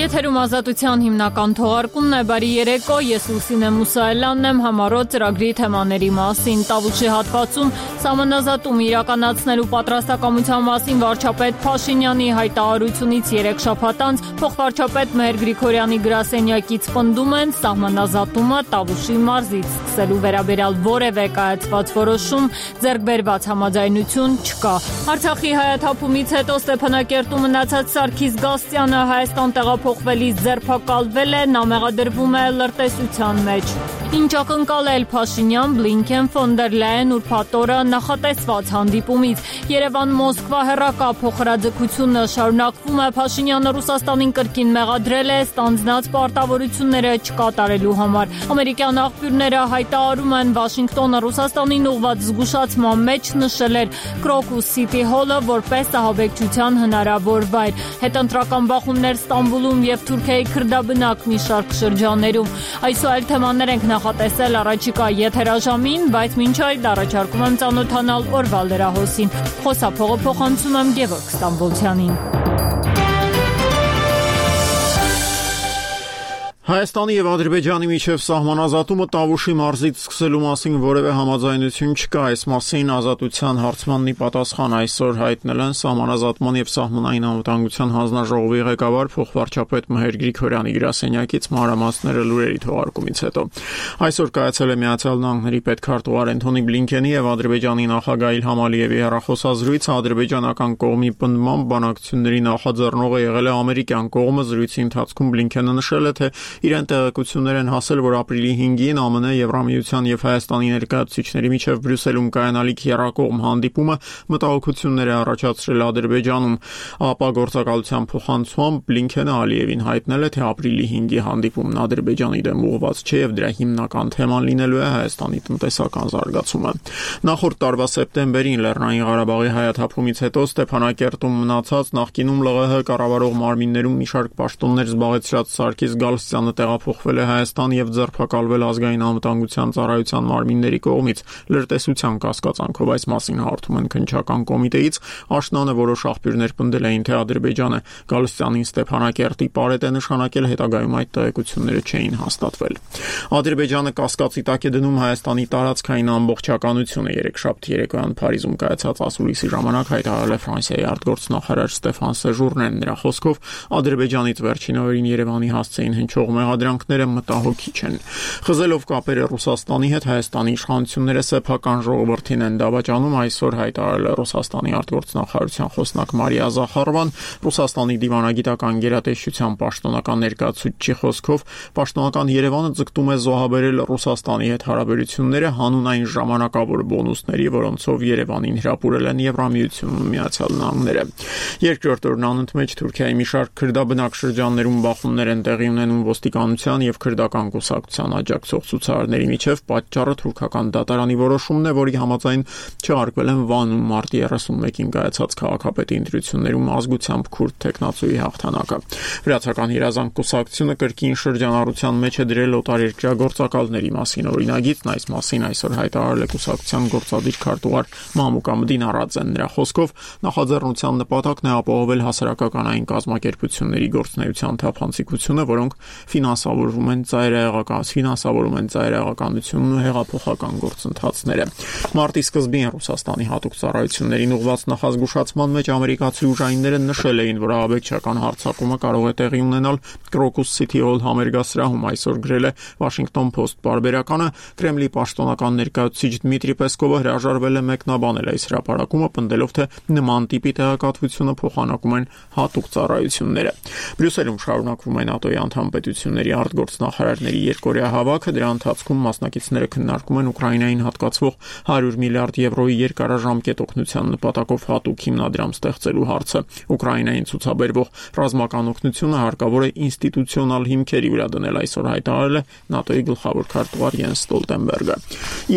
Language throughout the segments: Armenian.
Եթերում ազատության հիմնական թողարկումն է, բարի երեկո, ես Լուսինե Մուսայելյանն եմ, համառոտ ծրագրի թեմաների մասին։ Տավուշի հատվածում սահմանազատում իրականացնելու պատրաստակամության մասին վարչապետ Փաշինյանի հայտարարությունից 3 շաբաթ անց փոխվարչապետ Մեհեր Գրիգորյանի գրասենյակից պնդում են սահմանազատումը Տավուշի մարզից սկսելու վերաբերյալ որևէ կայացված որոշում, ձեռքբերված համաձայնություն չկա։ Արցախի հայաթափումից հետո Ստեփանակերտում մնացած Սարգիս Գաստրյանը Հայաստան տեղափոխվելիս ձերբակալվել է, նա մեղադրվում է լրտեսության մեջ։ Ինչ ակնկալել Փաշինյան, Բլինքեն, Ֆոն դեր Լայեն ուրբաթ օրը նախատեսված հանդիպումից։ Երևան-Մոսկվա հեռակա փոխհրաձգությունը շարունակվում է։ Փաշինյանը Ռուսաստանին կրկին մեղադրել է ստանձնած պարտավորությունները չկատարելու համար։ Ամերիկյան աղբյուրները հայտարարում են, Վաշինգտոնը Ռուսաստանին ուղղված զգուշացման մեջ նշել էր Քրոկուս Սիթի հոլը որպես ահաբեկչության հնարավոր վայր։ Հետընտրական բախումներ Ստամբուլում եւ Թուրքիայի քրդաբնակ մի շարք շրջաններում։ Այսօր այլ թեմաներ ենք նախատեսել առաջիկա եթերաժամին, բայց մինչ այդ առաջարկում եմ ծանոթանալ օրվա լրահոսին։ Խոսափողը փոխանցում եմ Գևորգ Ստամբոլցյանին։ Հայաստանի եւ Ադրբեջանի միջև սահմանազատումը Տավուշի մարզից սկսելու մասին որևէ համաձայնություն չկա, այս մասին ազատության հարցմաննի պատասխան այսօր հայտնել են սահմանազատման եւ սահմանային անվտանգության հանձնաժողովի ղեկավար փոխվարչապետ Մեհեր Գրիգորյանի գրասենյակից մանրամասները լուրերի թողարկումից հետո։ Այսօր կայացել է Միացյալ Նահանգների պետքարտուղար Անթոնի Բլինքենի եւ Ադրբեջանի նախագահ Իլհամ Ալիևի հեռախոսազրույցը, ադրբեջանական կողմի պնդմամբ բանակցությունների նախաձեռնողը եղել է ամերիկյան կողմը։ Զրույցի ընթացքում Բլինքենը նշել է, թե իրեն տեղեկություններ են հասել, որ ապրիլի 5-ին ԱՄՆ, Եվրամիության եւ Հայաստանի ներկայացուցիչների միջև Բրյուսելում կայանալիք եռակողմ հանդիպումը մտահոգություններ է առաջացրել Ադրբեջանում։ ԱՊԱ գործակալության փոխանցմամբ Բլինքենը Ալիևին հայտնել է, թե ապրիլի 5-ի հանդիպումն Ադրբեջանի դեմ ուղղված չէ եւ դրա հիմնական թեման լինելու է Հայաստանի տնտեսական զարգացումը։ Նախորդ տարվա սեպտեմբերին Լեռնային Ղարաբաղի հայաթափումից հետո Ստեփանակերտում մնացած նախկինում ԼՂՀ կառավարող մարմիններում մի շարք պաշտոններ զբաղեցրած Սարգիս Գալստյանը տեղափոխվել է Հայաստան եւ ձերբակալվել ազգային անվտանգության ծառայության մարմինների կողմից լրտեսության կասկածանքով։ Այս մասին հարթում են քննչական կոմիտեից։ Աշնանը որոշ աղբյուրներ պնդել էին, թե Ադրբեջանը Գալստյանին Ստեփանակերտի պարետ է նշանակել, հետագայում այդ տեղեկությունները չէին հաստատվել։ Ադրբեջանը կասկածի տակ է դնում Հայաստանի տարածքային ամբողջականությունը։ Երեքշաբթի երեկոյան Փարիզում կայացած ասուլիսի ժամանակ հայտարարել է Ֆրանսիայի արտգործնախարար Ստեֆան Սեժուրնեն։ Նրա խոսքով Ադրբեջանից վերջին օրերին Երևանի հասցեին հնչող մեղադրանքները մտահոգիչ են։ Խզելով կապերը Ռուսաստանի հետ, Հայաստանի իշխանությունները սեփական ժողովրդին են դավաճանում, այսօր հայտարարել է Ռուսաստանի արտգործնախարարության խոսնակ Մարիա Զախարովան։ Ռուսաստանի դիվանագիտական գերատեսչության պաշտոնական ներկայացուցիչի խոսքով պաշտոնական Երևանը ձգտում է զոհաբերել Ռուսաստանի հետ հարաբերությունները հանուն այն ժամանակավոր բոնուսների, որոնցով Երևանին հրապուրել են Եվրամիությունն ու Միացյալ Նահանգները։ Երկրորդ օրն անընդմեջ Թուրքիայի մի շարք քրդաբնակ շրջաններում բախումներ են տեղի ունենում ոստիկանության եւ քրդական կուսակցության աջակցող ցուցարարների միջև։ Պատճառը թուրքական դատարանի որոշումն է, որի համաձայն չհարգվել են Վանում մարտի 31-ին կայացած քաղաքապետի ընտրություններում ազգությամբ քուրդ տեխնացուի հաղթանակը։ Վրացական երազանք կուսակցությունը կրկին շրջանառության մեջ է դրել օտարերկրյա գործակալների մասին օրինագիծն։ Այս մասին այսօր հայտարարել է կուսակցության գործադիր քարտուղար Մամուկ Ամդին Արաձեն։ Նրա խոսքով նախաձեռնության նպատակն է ապահովել հասարակականային կազմակերպությունների գործունեության թափանցիկությունը, որոնք ֆինանսավորում են ծայրահեղականությունն ու հեղափոխական գործընթացները։ Մարտի սկզբին Ռուսաստանի հատուկ ծառայություններին ուղղված նախազգուշացման մեջ ամերիկացի ուժայինները նշել էին, որ ահաբեկչական հարձակումը կարող է տեղի ունենալ Քրոկուս Սիթի հոլ համերգասրահում։ Այսօր գրել է Washington Post պարբերականը, Կրեմլի պաշտոնական ներկայացուցիչ Դմիտրի Պեսկովը հրաժարվել է մեկնաբանել այս հրապարակումը, պնդելով, թե նման տիպի տեղեկատվությունը փոխանակում են հատուկ ծառայությունները։ Բրյուսելում շարունակվում է ՆԱՏՕ-ի անդամ պետությունների արտգործնախարարների երկօրյա հավաքը։ Դրա ընթացքում մասնակիցները քննարկում են Ուկրաինային հատկացվող 100 միլիարդ եվրոյի երկարաժամկետ օգնության նպատակով հատուկ հիմնադրամ ստեղծելու հարցը։ Ուկրաինային ցուցաբերվող ռազմական օգնությունը հարկավոր է ինստիտուցիոնալ հիմքերի վրա դնել, այսօր հայտարարել է ՆԱՏՕ-ի գլխավոր քարտուղար Յենս Ստոլտենբերգը։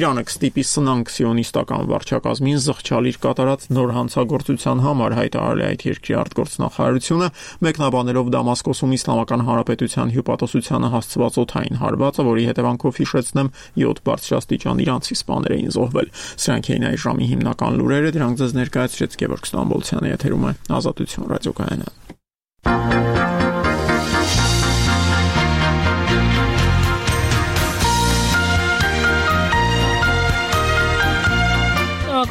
Իրանը կստիպի սնանկ սիոնիստական վարչակազմին զղջալ իր կատարած նոր հանցագործության համար, հայտարարել է այդ երկրի արտգործնախարարությունը, մեկնաբանելով Դամասկոսում Իսլամական Հանրապետության հյուպատոսությանը հասցված օդային հարվածը, որի հետևանքով հիշեցնեմ 7 բարձրաստիճան իրանցի սպաներ էին զոհվել։ Սրանք էին այս ժամի հիմնական լուրերը, դրանք ձեզ ներկայացրեց Գևորգ Ստամբոլցյանը, եթերում է Ազատություն ռադիոկայանը։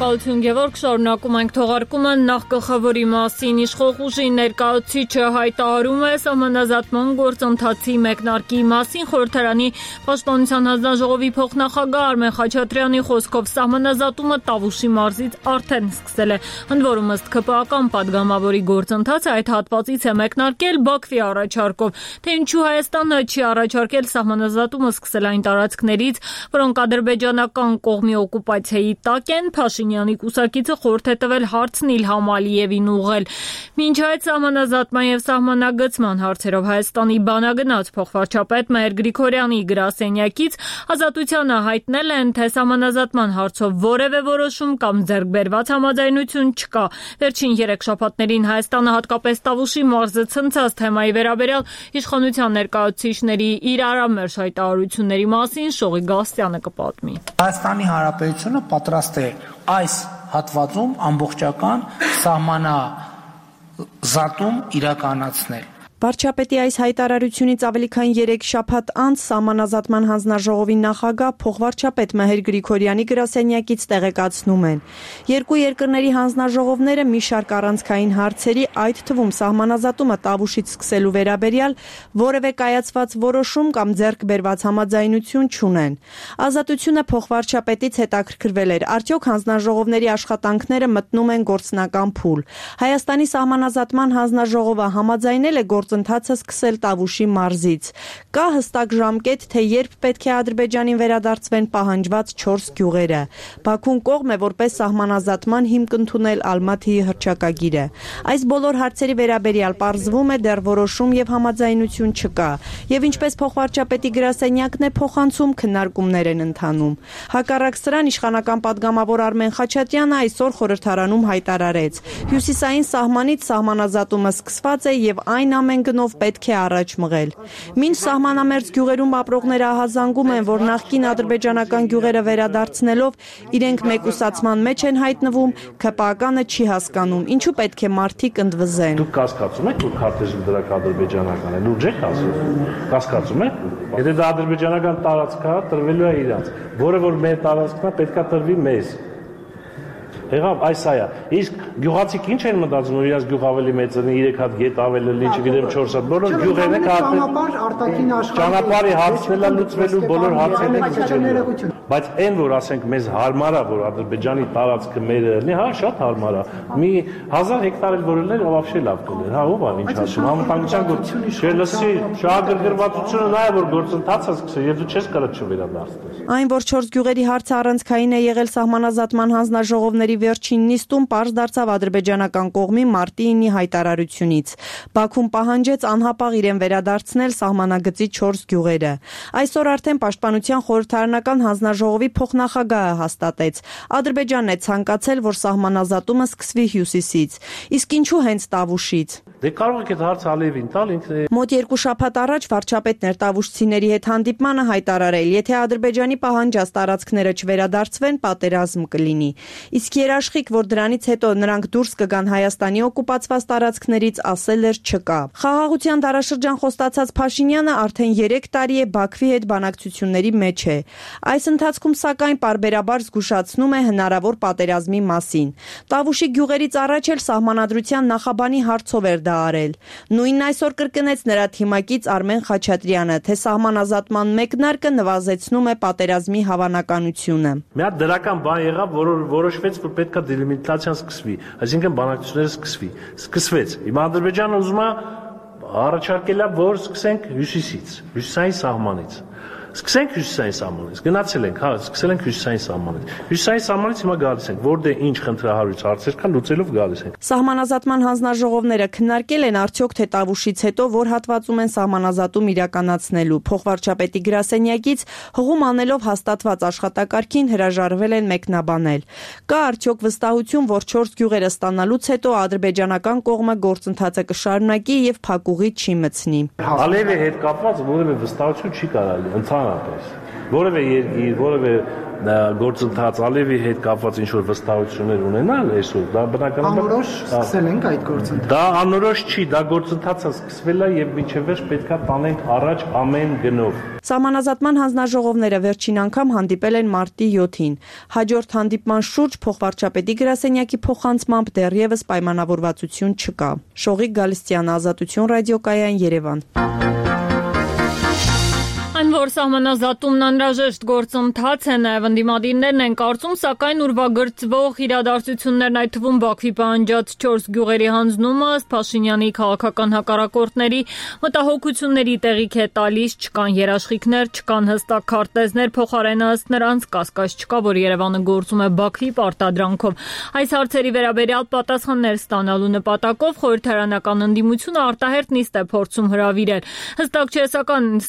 Շնորհակալություն Գևորգ, շարունակում ենք թողարկումը նախգծավորի մասին իշխող ուժի ներկայացուցիչը հայտարարում է սահմանազատման գործընթացի մեկնարկի մասին խորհրդարանի պաշտպանության հանձնաժողովի փոխնախագահ Արմեն Խաչատրյանի խոսքով սահմանազատումը Տավուշի մարզից արդեն սկսել է, ընդ որում ըստ ՔՊԱ-ական падգամավորի գործընթացը այդ հատվածից է մեկնարկել Բաքվի առաջարկով, թե ինչու Հայաստանը չի առաջարկել սահմանազատումը սկսել այն տարածքներից, որոնք ադրբեջանական կողմի օկուպացիայի տակ են, Փաշինյանի կուսակիցը խորհուրդ է տվել հարցն Իլհամ Ալիևին ուղղել։ Մինչ այդ սահմանազատման եւ սահմանագծման հարցերով Հայաստանի բանագնաց փոխվարչապետ Մհեր Գրիգորյանի գրասենյակից Ազատությանը հայտնել են, թե սահմանազատման հարցով որևէ որոշում կամ ձեռքբերված համաձայնություն չկա։ Վերջին 3 շաբաթներին Հայաստանը հատկապես Տավուշի մարզը ցնցած թեմայի վերաբերյալ իշխանության ներկայացուցիչների իրարամերժ հայտարարությունների մասին Շողի Գասյանը կպատմի։ Հայաստանի Հանրապետությունը պատրաստ է այս հատվածում ամբողջական սահմանազատում իրականացնել։ Վարչապետի այս հայտարարությունից ավելի քան 3 շաբաթ անց սահմանազատման հանձնաժողովի նախագահ փոխվարչապետ Մհեր Գրիգորյանի գրասենյակից տեղեկացնում են. երկու երկրների հանձնաժողովները մի շարք առանցքային հարցերի, այդ թվում սահմանազատումը Տավուշից սկսելու վերաբերյալ որևէ կայացված որոշում կամ ձեռք բերված համաձայնություն չունեն։ Ազատությունը փոխվարչապետից հետաքրքրվել էր, արդյոք հանձնաժողովների աշխատանքները մտնում են գործնական փուլ։ Հայաստանի սահմանազատման հանձնաժողովը համաձայնել է գործընթացը սկսել Տավուշի մարզից։ Կա հստակ ժամկետ, թե երբ պետք է Ադրբեջանին վերադարձվեն պահանջված 4 գյուղերը։ Բաքուն կողմ է որպես սահմանազատման հիմք ընդունել Ալմաթիի հռչակագիրը։ Այս բոլոր հարցերի վերաբերյալ պարզվում է դեռ որոշում եւ համաձայնություն չկա։ Եվ ինչպես փոխվարչապետի գրասենյակն է փոխանցում, քննարկումներ են ընթանում։ Հակառակ սրան իշխանական падգամավոր Արմեն Խաչատրյանը այսօր խորհրդարանում հայտարարեց. Հյուսիսային սահմանից սահմանազատումը սկսված է եւ այն ամեն գնով պետք է առաջ մղել։ Մինչ սահմանամերձ գյուղերում ապրողները ահազանգում են, որ նախկին ադրբեջանական գյուղերը վերադարձնելով իրենք մեկուսացման մեջ են հայտնվում, ՔՊԱ-կանը չի հասկանում, ինչու պետք է մարդիկ ընդվզեն։ Դուք կասկածում եք, որ քարտեզը դրակ ադրբեջանական է, լուրջ եք ասում։ Կասկածում եք։ Եթե դա ադրբեջանական տարածք է, տրվելու է իրանց, որը որ մեր տարածքն է, պետք է տրվի մեզ։ Եղավ այս այա։ Իսկ գյուղացիք ինչ են մտածում, որ իրաց գյուղ ավելի մեծ է, 3 հատ գետ ավելի լի, չգիտեմ 4 հատ, բոլոր գյուղերն են ճանապարհ արտաքին աշխարհի ճանապարհի հարցն է լուծվելու, բոլոր հարցերն են լուծվելու։ Բայց այն որ ասենք մեզ հարմար է, որ Ադրբեջանի տարածքը մերը լինի, հա, շատ հարմար է։ Մի 1000 հեկտար էլ որ լիներ, вообще լավ կլիներ։ Հա, ով է ինչ ասում, համապատասխան գործ։ Չլսի, շահագրգռվածությունը նա է, որ գործընթացը սկսել, եւ դու չես կարող չվերադարձնել։ Այն, որ 4 գյուղերի հարցը առանցքային է եղել սահմանազատման հանձնաժողովների վերջին նիստում, պարզ դարձավ ադրբեջանական կողմի մարտի 9-ի հայտարարությունից։ Բաքուն պահանջեց անհապաղ իրեն վերադարձնել սահմանագծի 4 գյուղերը։ Այսօր արդեն պաշտպանության խորհրդարանական հանձնաժողովի փոխնախագահը հաստատեց. Ադրբեջանն է ցանկացել, որ սահմանազատումը սկսվի հյուսիսից։ Իսկ ինչու հենց Տավուշից։ Դե կարող եք այդ հարցը Ալիևին տալ, ինքը Մոտ 2 շաբաթ առաջ վարչապետն էր տավուշցիների հետ հանդիպմանը հայտարարել, եթե Ադրբեջանի պահանջած տարածքները չվերադարձվեն, պատերազմ կլինի։ Իսկ երաշխիք, որ դրանից հետո նրանք դուրս կգան Հայաստանի օկուպացված տարածքներից, ասել էր չկա։ Խաղաղության դարաշրջան խոստացած Փաշինյանը արդեն 3 տարի է Բաքվի հետ բանակցությունների մեջ է։ Այս ընթացքում սակայն պարբերաբար զգուշացնում է հնարավոր պատերազմի մասին։ Տավուշի գյուղերից առաջ էլ սահմանադրության նախաբանի հարցով էր դա արել։ Նույնն այսօր կրկնեց նրա թիմակից Արմեն Խաչատրյանը, թե սահմանազատման մեկնարկը նվազեցնում է պատերազմի հավանականությունը։ Մի հատ դրական բան եղավ, որ որոշվեց, որ պետք է դելիմիտացիան սկսվի, այսինքն բանակցությունները սկսվեց։ Հիմա Ադրբեջանը ուզում է առաջարկել է, որ սկսենք հյուսիսից, հյուսիսային սահմանից։ Սկսենք հյուսիսային սահմանից, գնացել ենք, հա, սկսել ենք հյուսիսային սահմանից։ Հյուսիսային սահմանից հիմա գալիս ենք, որտեղ ինչ խնդրահարույց հարցեր կան, լուծելով գալիս ենք։ Սահմանազատման հանձնաժողովները քննարկել են արդյոք թե Տավուշից հետո որ հատվածում են սահմանազատում իրականացնելու։ Փոխվարչապետի գրասենյակից հղում անելով հաստատված աշխատակարգին հրաժարվել են մեկնաբանել։ Կա արդյոք վստահություն, որ 4 գյուղերը ստանալուց հետո ադրբեջանական կողմը գործընթացը կշարունակի եւ փակուղի չի մտցնի։ Ալիևի հետ կապված որևէ վստահություն չի կարելի ընդհանրապես։ Որևէ երկիր, որևէ գործընթաց Ալիևի հետ կապված ինչ-որ վստահություններ ունենալ այսօր, դա բնականաբար անորոշ սկսել ենք այդ գործընթացը։ Դա անորոշ չի, դա գործընթացը սկսվել է եւ մինչեւ վերջ պետքա տանենք առաջ ամեն գնով։ Սահմանազատման հանձնաժողովները վերջին անգամ հանդիպել են մարտի 7-ին։ Հաջորդ հանդիպման շուրջ փոխվարչապետի գրասենյակի փոխանցմամբ դեռևս պայմանավորվածություն չկա։ Շողիկ Գալստյան, Ազատություն ռադիոկայան, Երևան։ Այն որ սահմանազատումն անհրաժեշտ գործընթաց է, նաև ընդդիմադիրներն են կարծում, սակայն ուրվագծվող իրադարձություններն, այդ թվում Բաքվի պահանջած 4 գյուղերի հանձնումը, ըստ Փաշինյանի քաղաքական հակառակորդների մտահոգությունների տեղիք է տալիս, չկան երաշխիքներ, չկան հստակ քարտեզներ, փոխարենը ըստ նրանց կասկած չկա, որ Երևանը գործում է Բաքվի պարտադրանքով։ Այս հարցերի վերաբերյալ պատասխաններ ստանալու նպատակով խորհրդարանական ընդդիմությունը արտահերթ նիստ է փորձում հրավիրել։ Հստակ չէ,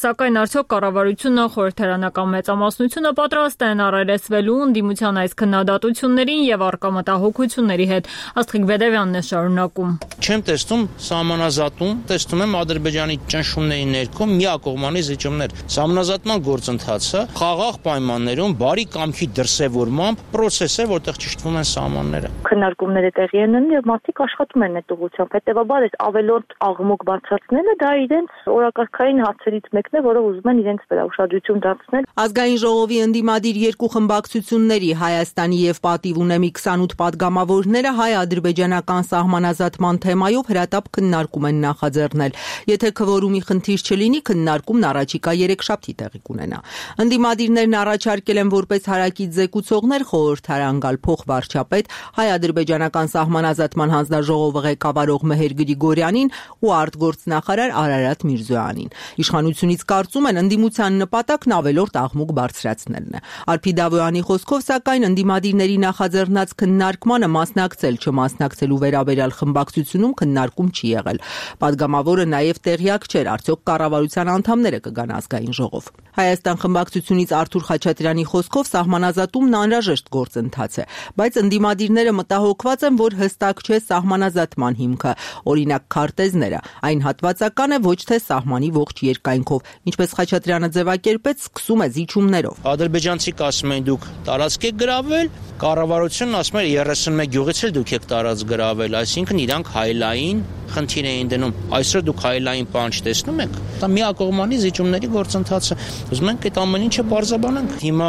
սակայն արդյոք կառավարությունը, խորհրդարանական մեծամասնությունը պատրաստ են առերեսվելու ընդդիմության այս քննադատություններին եւ առկա մտահոգությունների հետ։ Աստղիկ Բեդևյանն է շարունակում։ Չեմ տեսնում սահմանազատում, տեսնում եմ Ադրբեջանի ճնշումների ներքո միակողմանի զիջումներ։ Սահմանազատման գործընթացը խաղաղ պայմաններում բարի կամքի դրսևորմամբ process է, որտեղ ճշտվում են սահմանները։ Քննարկումները տեղի են ունենում եւ մարդիկ աշխատում են այդ ուղղությամբ։ Հետեւաբար այս ավելորդ աղմուկ բարձրացնելը դա իրենց օրակարգային հարցերից մեկն է, որը ուզում են իրենց վրա ուշադրություն դարձնել։ Ազգային ժողովի ընդդիմադիր երկու խմբակցությունների Հայաստանի եւ Պատիվ ունեմի 28 падգամավորները հայ-ադրբեջանական սահմանազատման թեմայով հրատապ քննարկում են նախաձեռնել։ Եթե քվորումի խնդիր չլինի, քննարկումն առաջիկա երեքշաբթի տեղի կունենա։ Ընդդիմադիրներն առաջարկել են որպես հարակից զեկուցողներ խորհրդարան գալ փոխվարչապետ, հայ-ադրբեջանական սահմանազատման հանձնաժողովը ղեկավարող Մեհեր Գրիգորյանին ու արտգործնախարար Արարատ Միրզոյանին։ Իշխանությունից կարծում են ընդդիմության նպատակն ավելորդ աղմուկ բարձրացնելն է։ Արփի Դավոյանի խոսքով, սակայն ընդդիմադիրների նախաձեռնած քննարկմանը մասնակցել չմասնակցելու վերաբերյալ խմբակցությունում քննարկում չի եղել։ Պատգամավորը նաև տեղյակ չէր, արդյոք կառավարության անդամները կգան ազգային ժողով։ Հայաստան խմբակցությունից Արթուր Խաչատրյանի խոսքով սահմանազատումն անհրաժեշտ գործընթաց է, բայց ընդդիմադիրները մտահոգված են, որ հստակ չէ սահմանազատման հիմքը, օրինակ քարտեզները, այն հատվածական է ոչ թե սահմանի ողջ երկայնքով, ինչպես Խաչատրյանը ձևակերպեց, սկսում է զիջումներով։ Ադրբեջանցիք ասում են դուք տարածք եք գրավել, կառավարությունն ասում է 31 գյուղից էլ դուք եք տարածք գրավել, այսինքն իրանք հայլային խնդիր էին դնում։ Այսօր դուք հայլային բան չտեսնում եք։ Դա միակողմանի զիջումների գործընթացը։ Ուզում ենք այդ ամեն ինչը բարձրաբանենք։ Հիմա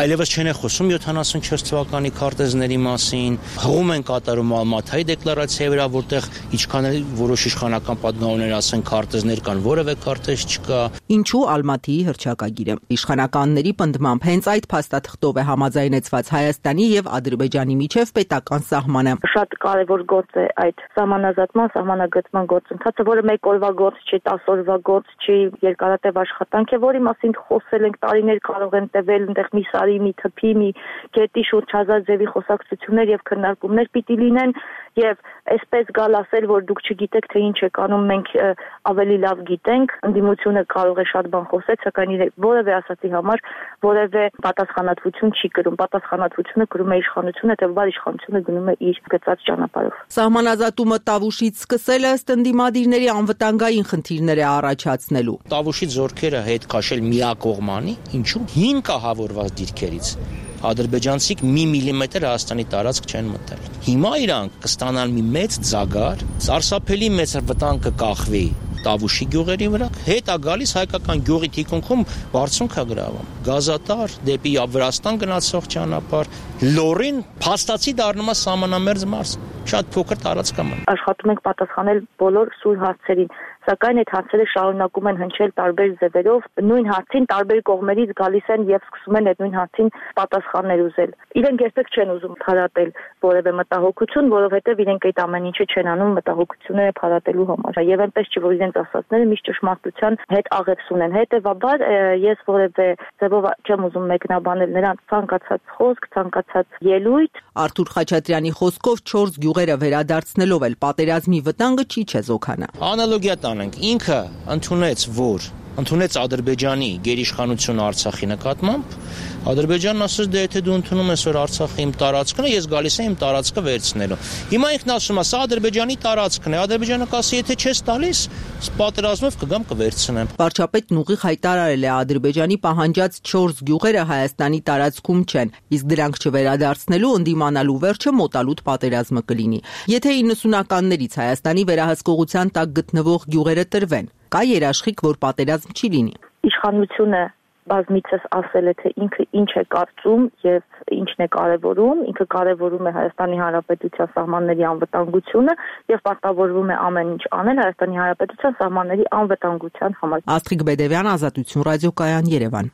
այլևս չեն խոսում 74 թվականի քարտեզների մասին, հողում են կատարում Ալմաթայի դեկլարացիայի վրա, որտեղ ինչքան էլ որոշ իշխանական պատգամավորներ ասեն քարտեզներ կան, որևէ քարտեզ չկա։ Ինչու Ալմաթիի հռչակագիրը։ Իշխանականների պնդմամբ հենց այդ փաստաթղթով է համաձայնեցված Հայաստանի եւ Ադրբեջանի միջև պետական սահմանը։ Շատ կարևոր գործ է այդ սահմանագծման գործընթացը, որը մեկ օրվա գործ չի, 10 օրվա գործ չի, երկարատև աշխատանք է, որի մասին խոսել ենք տարիներ, կարող են տևել այնտեղ մի սարի, մի թփի, մի գետի շուրջ հազար ձևի խոսակցություններ եւ քննարկումներ պիտի լինեն եւ այսպես գալ ասել, որ դուք չգիտեք թե ինչ եք անում, մենք ավելի լավ գիտենք, ընդդիմությունը կարող է շատ բան խոսել, սակայն որևէ ասացի համար որևէ պատասխանատվություն չի կրում, պատասխանատվությունը կրում է իշխանությունը, հետեւաբար իշխանությունը գնում է իր գծած ճանապարհով։ Սահմանազատումը Տավուշից սկսել ըստ ընդդիմադիրների անվտանգային խնդիրներ է առաջացնելու։ Տավուշի զորքերը հետ քաշել միակողմանի, ինչու 5 կահավորված դիրքերից ադրբեջանցիք մի միլիմետր Հայաստանի տարածք չեն մտել։ Հիմա իրանք կստանան մի մեծ ձագար, սարսափելի մեծ վտանգ կկախվի Տավուշի գյուղերի վրա, հետ է գալիս հայկական գյուղի թիկունքում բարձունք է գրավում։ Գազատար դեպի Վրաստան գնացող ճանապարհ, լորին փաստացի դառնում է սահմանամերձ մարզ։ Շատ փոքր տարածք է մնում։ Աշխատում ենք պատասխանել բոլոր սուր հարցերին, սակայն այդ հարցերը շարունակում են հնչել տարբեր ձևերով, նույն հարցին տարբեր կողմերից գալիս են եւ սկսում են այդ նույն հարցին պատասխաններ ուզել։ Իրենք երբեք չեն ուզում փարատել որևէ մտահոգություն, որովհետեւ իրենք այդ ամեն ինչը չեն անում մտահոգությունները փարատելու համար։ Եվ այնպես չի, որ իրենց ասածները միշտ ճշմարտության հետ աղերս ունեն։ Հետեւաբար ես որևէ ձևով չեմ ուզում մեկնաբանել նրանց ցանկացած խոսք, ցանկացած ելույթ։ Արթուր Խաչատրյանի խոսքով 4 գյուղերը վերադարձնելով էլ պատերազմի վտանգը չի չեզոքանա։ Անալոգիա տանենք, ինքը ընդունեց, որ ընդունեց Ադրբեջանի գերիշխանությունը Արցախի նկատմամբ, Ադրբեջանն ասաց, դե եթե դու ընդունում ես, որ Արցախը իմ տարածքն է, ես գալիս եմ իմ տարածքը վերցնելու։ Հիմա ինքն ասում է, սա Ադրբեջանի տարածքն է, Ադրբեջանը կասի, եթե չես տալիս, պատերազմով կգամ կվերցնեմ։ Վարչապետն ուղիղ հայտարարել է, Ադրբեջանի պահանջած 4 գյուղերը Հայաստանի տարածքում չեն, իսկ դրանք չվերադարձնելու ընդդիմանալու վերջը մոտալուտ պատերազմը կլինի։ Եթե 90-ականներից Հայաստանի վերահսկողության տակ գտնվող գյուղերը տրվեն, կա երաշխիք, որ պատերազմ չի լինի։ Իշխանությունը բազմիցս ասել է, թե ինքը ինչ է կարծում եւ ինչն է կարեւորում, ինքը կարեւորում է Հայաստանի Հանրապետության սահմանների անվտանգությունը եւ պարտավորվում է ամեն ինչ անել Հայաստանի Հանրապետության սահմանների անվտանգության համար։ Աստղիկ Բեդևյան, Ազատություն ռադիոկայան, Երևան։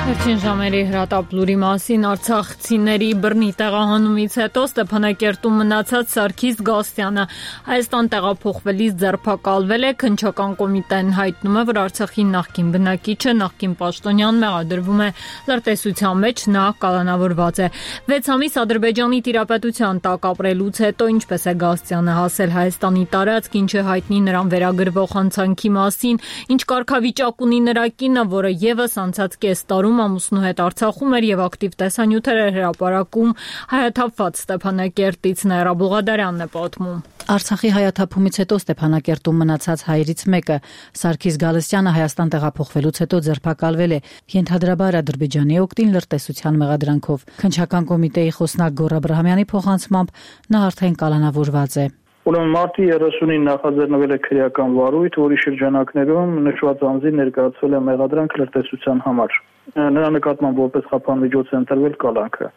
Վերջին ժամերի հրատապլուրի մասին արցախցիների բռնի տեղահանումից հետո Ստեփանակերտում մնացած Սարգիս Գասյանը Հայաստան տեղափոխվելիս ձերբակալվել է։ Քննչական կոմիտեն հայտնում է, որ Արցախի նախկին բնակիչը, նախկին պաշտոնյան մեղադրվում է լրտեսության մեջ, նա կալանավորված է։ 6 ամիս Ադրբեջանի տիրապետության տակ ապրելուց հետո ինչպես է Գասյանը հասել Հայաստանի տարածք, ինչ է հայտնի նրան վերագրվող հանցանքի մասին, ինչ կարգավիճակ ունի նրա կինը, որը եւս անցած կես տարում ամուսնու հետ Արցախում էր եւ ակտիվ տեսանյութեր էր հրապարակում, հայաթափված Ստեփանակերտից Նաիրա Բուղադարյանն է պատմում։ Արցախի հայաթափումից հետո Ստեփանակերտում մնացած հայերից մեկը, Սարգիս Գալստյանը, Հայաստան տեղափոխվելուց հետո ձերբակալվել է, ենթադրաբար Ադրբեջանի օգտին լրտեսության մեղադրանքով։ Քննչական կոմիտեի խոսնակ Գոռ Աբրահամյանի փոխանցմամբ նա արդեն կալանավորված է։ Ուրեմն մարտի 30-ին նախաձեռնվել է քրեական վարույթ, որի շրջանակներում նշված անձին ներկայացվել է մեղադրանք լրտեսության համար։ Նրա նկատմամբ որպես խափանմիջոց է ընտրվել կալանքը։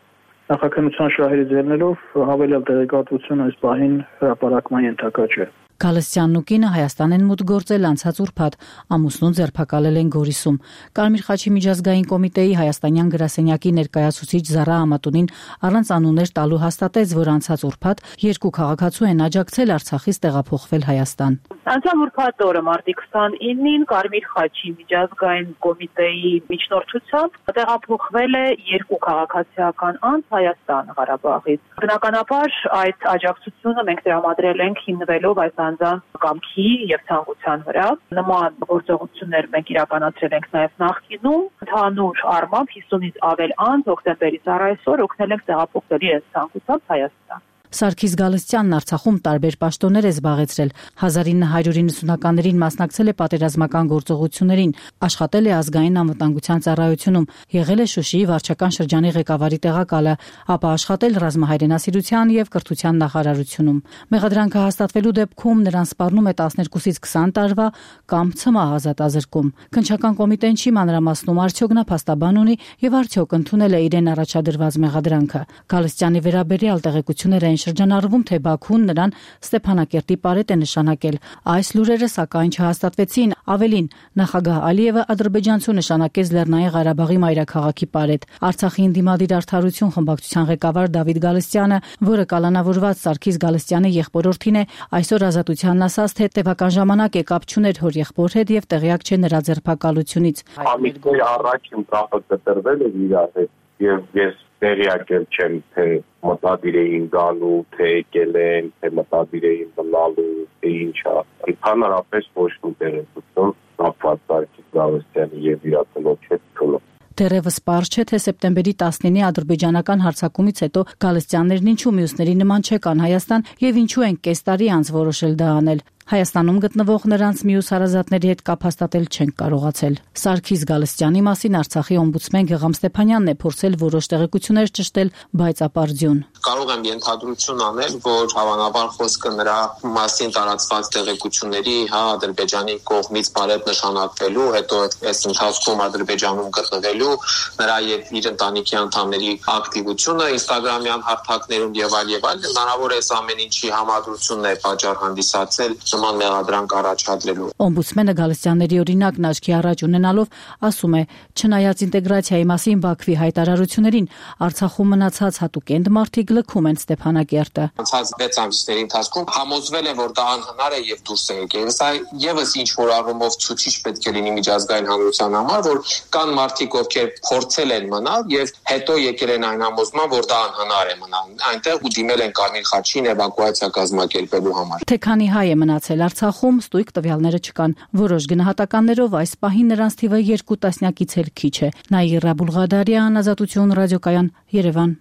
Նախաքննության շահերից ելնելով հավելյալ տեղեկատվություն այս պահին հրապարակման ենթակա չէ։ Գալստյանն ու կինը Հայաստան են մուտք գործել անցած ուրբաթ, ամուսնուն ձերբակալել են Գորիսում։ Կարմիր խաչի միջազգային կոմիտեի հայաստանյան գրասենյակի ներկայացուցիչ Զարա Ամատունին առանց անուններ տալու հաստատեց, որ անցած ուրբաթ երկու քաղաքացու են աջակցել Արցախից տեղափոխվել Հայաստան։ Անցյալ ուրբաթ օրը մարտի 29-ին Կարմիր խաչի միջազգային կոմիտեի միջնորդությամբ տեղափոխվել է երկու քաղաքացիական անձ Հայաստան Ղարաբաղից։ Բնականաբար այդ աջակցությունը մենք տրամադրել ենք հիմնվելով այս անձանց կամքի եւ ցանկության վրա։ Նման գործողություններ մենք իրականացրել ենք նաեւ նախկինում։ Ընդհանուր առմամբ 50-ից ավել անձ հոկտեմբերից առ այսօր օգնել ենք տեղափոխվել իրենց ցանկությամբ Հայաստան։ Սարգիս Գալստյանն Արցախում տարբեր պաշտոններ է զբաղեցրել։ 1990-ականներին մասնակցել է պատերազմական գործողություններին, աշխատել է ազգային անվտանգության ծառայությունում, եղել է Շուշիի վարչական շրջանի ղեկավարի տեղակալը, ապա աշխատել ռազմահայրենասիրության եւ կրթության նախարարությունում։ Մեղադրանքը հաստատվելու դեպքում նրան սպառնում է 12-ից 20 տարվա կամ ցմահ ազատազրկում։ Քննչական կոմիտեն չի մանրամասնում արդյոք նա փաստաբան ունի եւ արդյոք ընդունել է իրեն առաջադրված մեղադրանքը։ Գալստյանի վերաբերյալ տեղեկություններ են շրջանառվում, թե Բաքուն նրան Ստեփանակերտի պարետ է նշանակել։ Այս լուրերը սակայն չհաստատվեցին։ Ավելին, նախագահ Ալիևը ադրբեջանցու նշանակեց Լեռնային Ղարաբաղի մայրաքաղաքի պարետ։ Արցախի ընդդիմադիր արդարություն խմբակցության ղեկավար Դավիթ Գալստյանը, որը կալանավորված Սարգիս Գալստյանի եղբորորդին է, այսօր Ազատությանն ասաց, թե տևական ժամանակ է կապ չուներ հոր եղբոր հետ եւ տեղյակ չէ նրա ձերբակալությունից։ Ամիսներ առաջ իմ կապը կտրվել է իրար հետ եւ ես տեղյակ չեմ, թե մտադիր էին գալու, թե եկել են, թե մտադիր էին մնալու, թե ինչա։ Ընդհանրապես ոչ մի տեղեկություն կապված Սարգիս Գալստյանի եւ իր ծնոջ հետ չունի։ Դեռևս պարզ չէ, թե սեպտեմբերի 19-ի ադրբեջանական հարձակումից հետո Գալստյաններն ինչու մյուսների նման չեկան Հայաստան եւ ինչու են կես տարի անց որոշել դա անել։ Հայաստանում գտնվող նրանց մյուս հարազատների հետ կապ հաստատել չեն կարողացել։ Սարգիս Գալստյանի մասին Արցախի օմբուդսմեն Գեգամ Ստեփանյանն է փորձել որոշ տեղեկություններ ճշտել, բայց ապարդյուն։ Կարող եմ ենթադրություն անել, որ հավանաբար խոսքը նրա մասին տարածված տեղեկությունների, Ադրբեջանի կողմից բարետ նշանակվելու, հետո այս ընթացքում Ադրբեջանում գտնվելու, նրա եւ իր ընտանիքի անդամների ակտիվությունը Instagram-յան հարթակներում եւ այլ, հնարավոր է ամեն ինչի համադրությունն է պատճառ հանդիսացել մեղադրանք առաջադրելու։ Օմբուդսմենը Գալստյանների օրինակն աչքի առաջ ունենալով ասում է, չնայած ինտեգրացիայի մասին Բաքվի հայտարարություններին, Արցախում մնացած հատուկենտ մարդիկ Մարդիկ լքում են Ստեփանակերտը։ Անցած 6 ամիսների ընթացքում համոզվել են, որ դա անհնար է եւ դուրս է եկել։ Սա եւս ինչ որ առումով ցուցիչ պետք է լինի միջազգային հանրության համար, որ կան մարդիկ, ովքեր փորձել են մնալ եւ հետո եկել են այն համոզման, որ դա անհնար է մնալ այնտեղ ու դիմել են Կարմիր խաչին էվակուացիա կազմակերպելու համար։ Թե քանի հայ է մնացել Արցախում, ստույգ տվյալները չկան։ Որոշ գնահատականներով այս պահին նրանց թիվը 2 տասնյակից էլ քիչ է։ Նաիրա Բուլղադարյան, Ազատություն ռադիոկայան, Երևան։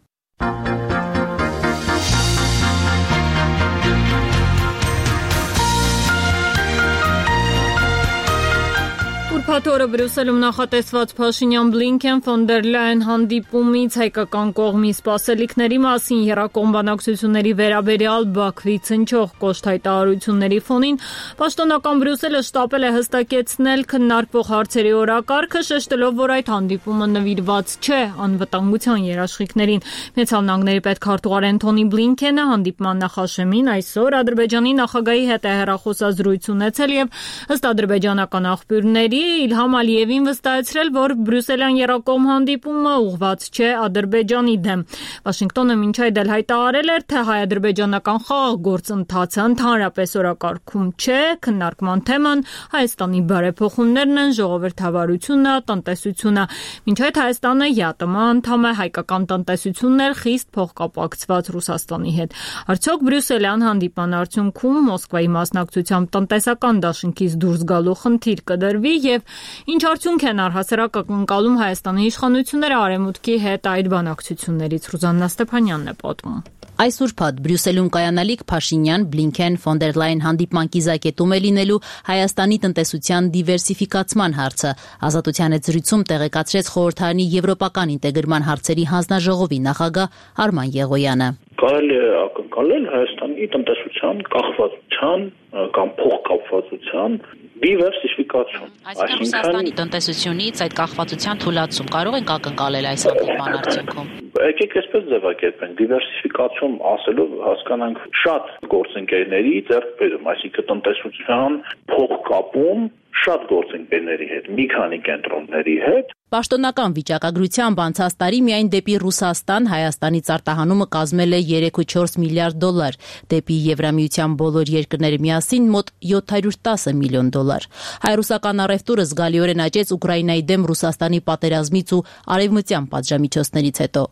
Ուրբաթ-օրը Բրյուսելում նախատեսված Փաշինյան-Բլինքեն ֆոն դեր Լայան հանդիպումից հայկական կողմի սպասելիքների մասին եռակողմ բանակցությունների վերաբերյալ Բաքվից հնչող կոշտ հայտարարությունների ֆոնին պաշտոնական Բրյուսելը շտապել է հստակեցնել քննարկվող հարցերի օրակարգը, շեշտելով, որ այդ հանդիպումը նվիրված չէ անվտանգության երաշխիքներին։ Միացյալ Նահանգների պետքարտուղար Էնթոնի Բլինքենը հանդիպման նախաշեմին այսօր Ադրբեջանի նախագահի հետ է հեռախոսազրույց ունեցել եւ ըստ ադրբեջանական աղբյուրների Իլհամ Ալիևին վստահեցրել, որ բրյուսելյան եռակողմ հանդիպումը ուղղված չէ Ադրբեջանի դեմ։ Վաշինգտոնը մինչ այդ էլ հայտարարել էր, թե հայ-ադրբեջանական խաղաղ գործընթացը ընդհանրապես օրակարգում չէ, քննարկման թեման Հայաստանի բարեփոխումներն են, ժողովրդավարությունը, տնտեսությունը։ Մինչ այդ Հայաստանը ԵԱՏՄ անդամ է, հայկական տնտեսությունն էլ խիստ փոխկապակցված Ռուսաստանի հետ։ Արդյոք բրյուսելյան հանդիպման արդյունքում Մոսկվայի մասնակցությամբ տնտեսական դաշինքից դուրս գալու խնդիր կդրվի եւ ինչ արդյունք են առհասարակ ակնկալում Հայաստանի իշխանությունները արևմուտքի հետ այդ բանակցություններից։ Ռուզաննա Ստեփանյանն է պատմում։ Այս ուրբաթ Բրյուսելում կայանալիք Փաշինյան, Բլինքեն, ֆոն դեր Լայան հանդիպման կիզակետում է լինելու Հայաստանի տնտեսության դիվերսիֆիկացման հարցը։ Ազատության հետ զրույցում տեղեկացրեց խորհրդարանի եվրոպական ինտեգրման հարցերի հանձնաժողովի նախագահ Արման Եղոյանը։ Կարելի է ակնկալել Հայաստանի տնտեսության կախվածության կամ փոխկապվածության դիվերսիֆիկացիան։ Այսինքն Ռուսաստանի տնտեսությունից այդ կախվածության թուլացում կարող ենք ակնկալել այս հանդիպման արդյունքում։ Եկեք այսպես ձևակերպենք, դիվերսիֆիկացիոն ասելով հասկանանք շատ գործընկերների ձեռքբերում, այսինքն տնտեսության փոխկապում շատ գործընկերների հետ, մի քանի կենտրոնների հետ։ Պաշտոնական վիճակագրությամբ անցած տարի միայն դեպի Ռուսաստան Հայաստանից արտահանումը կազմել է 3.4 միլիարդ դոլար, դեպի Եվրամիության բոլոր երկրները միասին մոտ 710 միլիոն դոլար։ Հայ-ռուսական առևտուրը զգալիորեն աճեց Ուկրաինայի դեմ Ռուսաստանի պատերազմից ու արևմտյան պատժամիջոցներից հետո։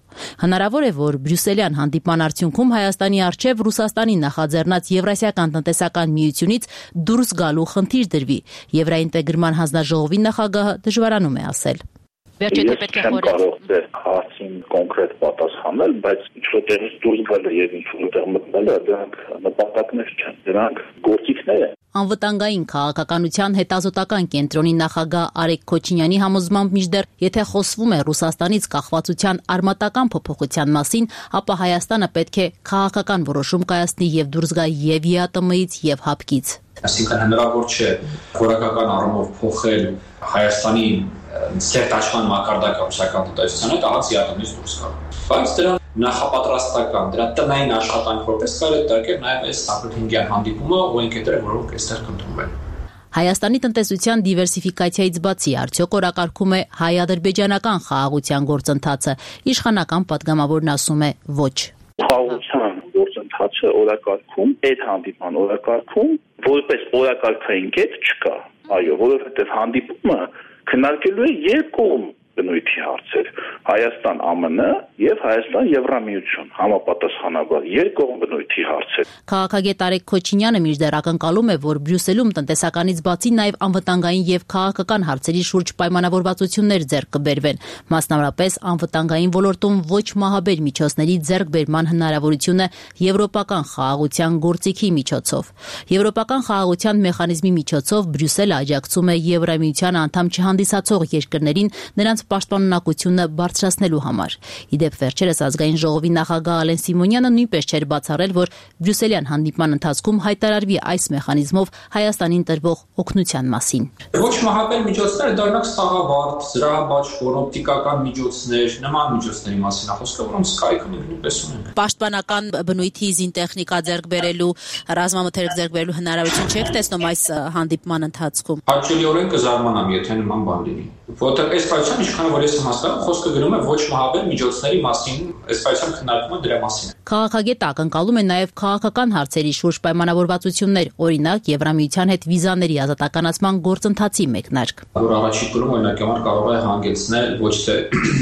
Հնարավոր է, որ բրյուսելյան հանդիպման արդյունքում Հայաստանի առջև Ռուսաստանի նախաձեռնած Եվրասիական տնտեսական միությունից դուրս գալու խնդիր դրվի։ Եվրաինտեգրման հանձնաժողովի նախագահը դժվարանում է ասել։ Ես չեմ կարող ձեր հարցին կոնկրետ պատասխանել, բայց ինչ-որտեղից դուրս գալը եւ ինչ-որտեղ մտնելը դրանք նպատակներ չեն, դրանք գործիքներ են։ Անվտանգային քաղաքականության հետազոտական կենտրոնի նախագահ Արեգ Քոչինյանի համոզմամբ մինչդեռ եթե խոսվում է Ռուսաստանից կախվածության արմատական փոփոխության մասին, ապա Հայաստանը պետք է քաղաքական որոշում կայացնի եւ դուրս գա եւ ԵԱՏՄ-ից եւ ՀԱՊԿ-ից։ Այսինքն հնարավոր չէ որակական առումով փոխել Հայաստանի սերտաշխան մակարդակը ռուսական տնտեսության հետ ահաց ԵԱՏՄ-ից դուրս գալ։ Բայց դրա նախապատրաստական, դրա տնային աշխատանք որպես կարելի է դարձնել նաև այս Սակրատինգյան հանդիպումը ու ընկերները, որոնք այստեղ կընդունվեն։ Հայաստանի տնտեսության դիվերսիֆիկացիայից բացի արդյոք օրակարգում է հայ-ադրբեջանական խաղաղության գործընթացը, իշխանական падգամավորն ասում է ոչ։ Խաղաղության գործընթացը օրակարգում, այդ հանդիպման օրակարգում որպես օրակարգային կետ չկա։ Այո, որովհետև հանդիպումը քննարկելու է երկկողմ բնույթի հարցեր՝ Հայաստան ԱՄՆ եւ Հայաստան Եվրամիություն, համապատասխանաբար երկկողմ բնույթի հարցեր։ Քաղաքագետ Արեգ Քոչինյանը մինչդեռ ակնկալում է, որ Բրյուսելում տնտեսականից բացի նաև անվտանգային եւ քաղաքական հարցերի շուրջ պայմանավորվածություններ ձեռք կբերվեն, մասնավորապես անվտանգային ոլորտում ոչ մահաբեր միջոցների ձեռքբերման հնարավորությունը եվրոպական խաղաղության գործիքի միջոցով։ Եվրոպական խաղաղության մեխանիզմի միջոցով Բրյուսելը աջակցում է Եվրամիության անդամ չհանդիսացող երկրներին նրանց պաշտպանունակությունը բարձրացնելու համար։ Իդեպ վերջերս ազգային ժողովի նախագահ Ալեն Սիմոնյանը նույնպես չէր բացառել, որ բրյուսելյան հանդիպման ընթացքում հայտարարվի այս մեխանիզմով Հայաստանին տրվող օգնության մասին։ Ոչ մահաբեր միջոցները դառնակ սաղավարտ, զրահաբաշխոր, օպտիկական միջոցներ, նման միջոցների մասին է խոսքը, որոնց կայքը մենք նույնպես ունենք։ Պաշտպանական բնույթի զինտեխնիկա ձեռք բերելու, ռազմամթերք ձեռք բերելու հնարավորություն չեք տեսնում այս հանդիպման ընթացքում։ Հաճելիորեն կզարմանամ, եթե նման բան լինի։ Որտեղ այս ֆայլում ինչքան որ ես հասկանում, խոսքը գրում է ոչ մահաբեր միջոցների մասին, այս ֆայլում քննարկումը դրա մասին է։ Քաղաքագետը ակնկալում է նաև քաղաքական հարցերի շուրջ պայմանավորվածություններ, օրինակ Եվրամիության հետ վիզաների ազատականացման գործընթացի մեկնարկ։ Որ առաջին կողմը օրինակ կարող է հանգեցնել ոչ թե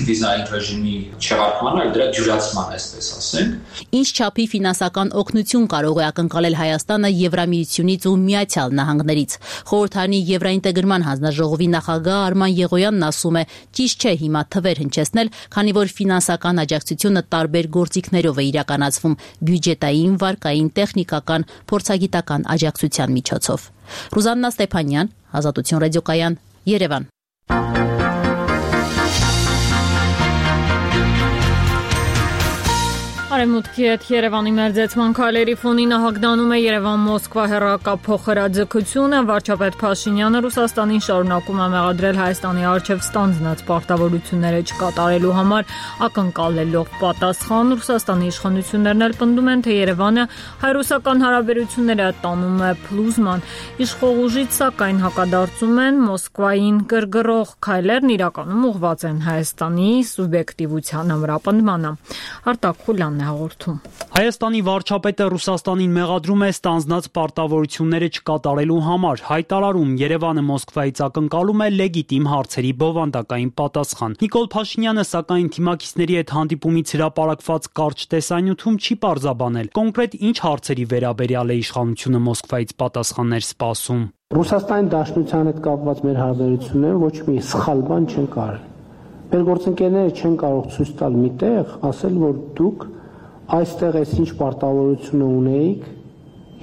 վիզային ռեժիմի չեղարկման, այլ դրա դյուրացման, այսպես ասենք։ Ինչ չափի ֆինանսական օգնություն կարող է ակնկալել Հայաստանը Եվրամիությունից ու Միացյալ Նահանգներից։ Խորհրդարանի Եվրաինտեգրման հանձնաժողովի նախագահ Արման Եղոյանն ասում է, ճիշտ չէ հիմա թվեր հնչեցնել, քանի որ ֆինանսական աջակցությունը տարբեր գործիքներով է իրականացվում՝ բյուջետային, վարկային, տեխնիկական, փորձագիտական աջակցության միջոցով։ Ռուզաննա Ստեփանյան, Ազատություն ռադիոկայան, Երևան։ Արևմուտքի հետ Երևանի մերձեցման քայլերի ֆոնին հագնանում է Երևան-Մոսկվա հեռակապ փոխհրաձգությունը։ Վարչապետ Փաշինյանը Ռուսաստանին շարունակում է մեղադրել Հայաստանի առջև ստանձնած պարտավորությունները չկատարելու համար, ակնկալելով պատասխան։ Ռուսաստանի իշխանություններն էլ պնդում են, թե Երևանը հայ-ռուսական հարաբերությունները տանում է փլուզման։ Իշխող ուժից սակայն հակադարձում են, Մոսկվային գրգռող քայլերն իրականում ուղղված են Հայաստանի սուբյեկտիվության ամրապնդմանը։ Արտակ Խուլյանն հաղորդում։ Հայաստանի վարչապետը Ռուսաստանին մեղադրում է ստանձնած պարտավորությունները չկատարելու համար, հայտարարում Երևանը Մոսկվայից ակնկալում է լեգիտիմ հարցերի բովանդակային պատասխան։ Նիկոլ Փաշինյանը սակայն թիմակիցների հետ հանդիպումից հրապարակված կարճ տեսանյութում չի պարզաբանել կոնկրետ ինչ հարցերի վերաբերյալ է իշխանությունը Մոսկվայից պատասխաններ սպասում։ Ռուսաստանի Դաշնության հետ կապված մեր հարաբերությունները ոչ մի սխալ բան չեն կարել։ Մեր գործընկերները չեն կարող ցույց տալ միտեղ, ասել, որ դուք այստեղ այս ինչ պարտավորությունը ունեիք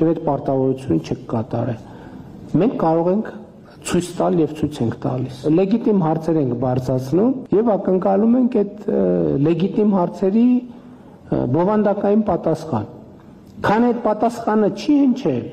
եւ այդ պարտավորությունը չեք կատարել։ Մենք կարող ենք ցույց տալ եւ ցույց ենք տալիս։ Լեգիտիմ հարցեր ենք բարձրացնում եւ ակնկալում ենք այդ լեգիտիմ հարցերի բովանդակային պատասխան։ Քան այդ պատասխանը չի հնչել,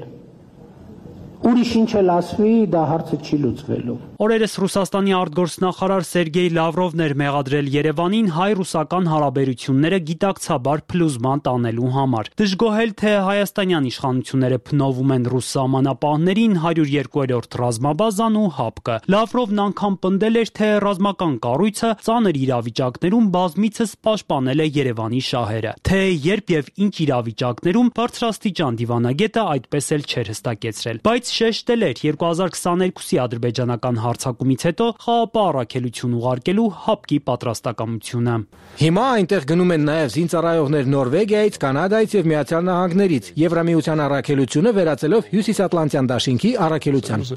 ուրիշ ինչ էլ ասվի, դա հարցը չի լուծվելու։ Օրերս Ռուսաստանի արտգործնախարար Սերգեյ Լավրովն էր մեղադրել Երևանին հայ-ռուսական հարաբերությունները գիտակցաբար փլուզման տանելու համար։ Դժգոհել, թե հայաստանյան իշխանությունները փնովում են ռուս սահմանապահներին 102-րդ ռազմաբազան ու ՀԱՊԿ-ը։ Լավրովն անգամ պնդել էր, թե ռազմական կառույցը ծանր իրավիճակներում բազմիցս պաշտպանել է Երևանի շահերը։ Թե երբ եւ ինչ իրավիճակներում բարձրաստիճան դիվանագետը այդպես էլ չէր հստակեցրել, բայց շեշտել էր 2022-ի ադրբեջանական հարձակումից հետո ԽԱՊ առաքելություն ուղարկելու ՀԱՊԿ-ի պատրաստակամությունը։ Հիմա այնտեղ գնում են նաև զինծառայողներ Նորվեգիայից, Կանադայից եւ Միացյալ Նահանգներից, Եվրամիության առաքելությունը վերածելով Հյուսիսատլանտյան դաշինքի առաքելության։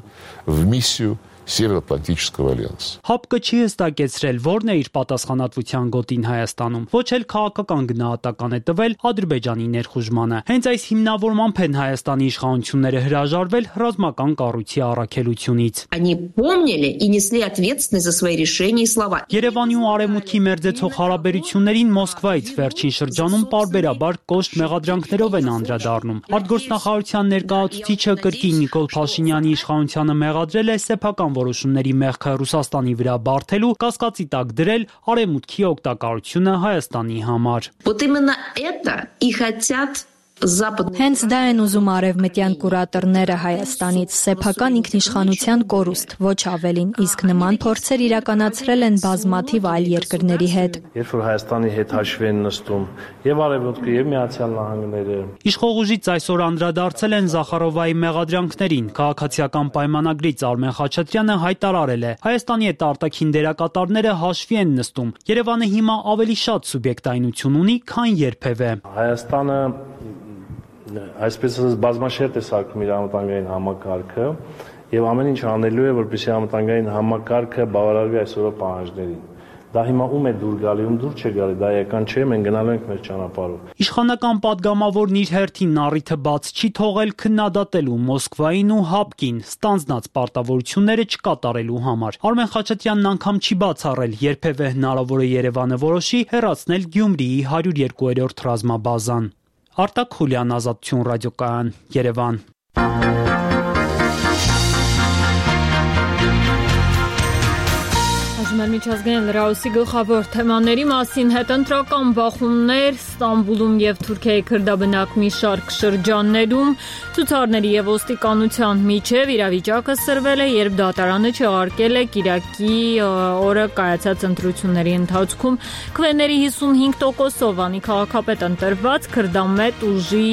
Североатлантического альянса. ՀԱՊԿ-ը չի հստակեցրել, որն է իր պատասխանատվության գոտին Հայաստանում, ոչ էլ քաղաքական գնահատական է տվել Ադրբեջանի ներխուժմանը։ Հենց այս հիմնավորմամբ են Հայաստանի իշխանությունները հրաժարվել ռազմական կառույցի առաքելությունից։ Они помнили и несли ответственность за свои решения и слова. Երևանի ու Արևմուտքի մերձեցող հարաբերություններին Մոսկվայից վերջին շրջանում պարբերաբար կոշտ մեղադրանքներով են անդրադառնում։ Արտգործնախարարության ներկայացուցիչը կրկին Նիկոլ Փաշինյանի իշխանությանը մեղադրել է սեփական որոշումների մեղքը Ռուսաստանի վրա բարթելու, կասկածի տակ դրել Արևմուտքի օգտակարությունը Հայաստանի համար։ Вот именно это и хотят Հենց դա են ուզում արևմտյան կուրատորները Հայաստանից, սեփական ինքնիշխանության կորուստ, ոչ ավելին, իսկ նման փորձեր իրականացրել են բազմաթիվ այլ երկրների հետ։ Երբ որ Հայաստանի հետ հաշվի են նստում եւ Արևմուտքը եւ Միացյալ Նահանգները։ Իշխող ուժից այսօր անդրադարձել են Զախարովայի մեղադրանքներին։ Քաղաքացիական պայմանագրից Արմեն Խաչատրյանը հայտարարել է. Հայաստանի հետ արտաքին դերակատարները հաշվի են նստում։ Երևանը հիմա ավելի շատ սուբյեկտայնություն ունի, քան երբևէ։ Հայաստանը այսպես ասած բազմաշերտ է սարքում իր անվտանգային համակարգը եւ ամեն ինչ անելու է, որպեսզի անվտանգային համակարգը բավարարվի այսօրվա պահանջներին։ Դա հիմա ում է դուր գալի, ում դուր չէ գալի, դա էական չէ, մենք գնալու ենք մեր ճանապարհով։ Իշխանական падգամավորն իր հերթին առիթը բաց չի թողել քննադատելու Մոսկվային ու ՀԱՊԿ-ին ստանձնած պարտավորությունները չկատարելու համար։ Արմեն Խաչատրյանն անգամ չի բացառել, երբևէ հնարավոր է Երևանը որոշի հեռացնել Գյումրիի 102-րդ ռազմաբազան։ Արտակ Խուլյան, Ազատություն ռադիոկայան, Երևան։ Խոսում ենք միջազգային լրահոսի գլխավոր թեմաների մասին. հետընտրական բախումներ Ստամբուլում եւ Թուրքիայի քրդաբնակ մի շարք շրջաններում, ցուցարների եւ ոստիկանության միջև իրավիճակը սրվել է, երբ դատարանը չեղարկել է Կիրակի օրը կայացած ընտրությունների ընթացքում քվեների 55%-ով Վանի քաղաքապետ ընտրված քրդամետ ուժի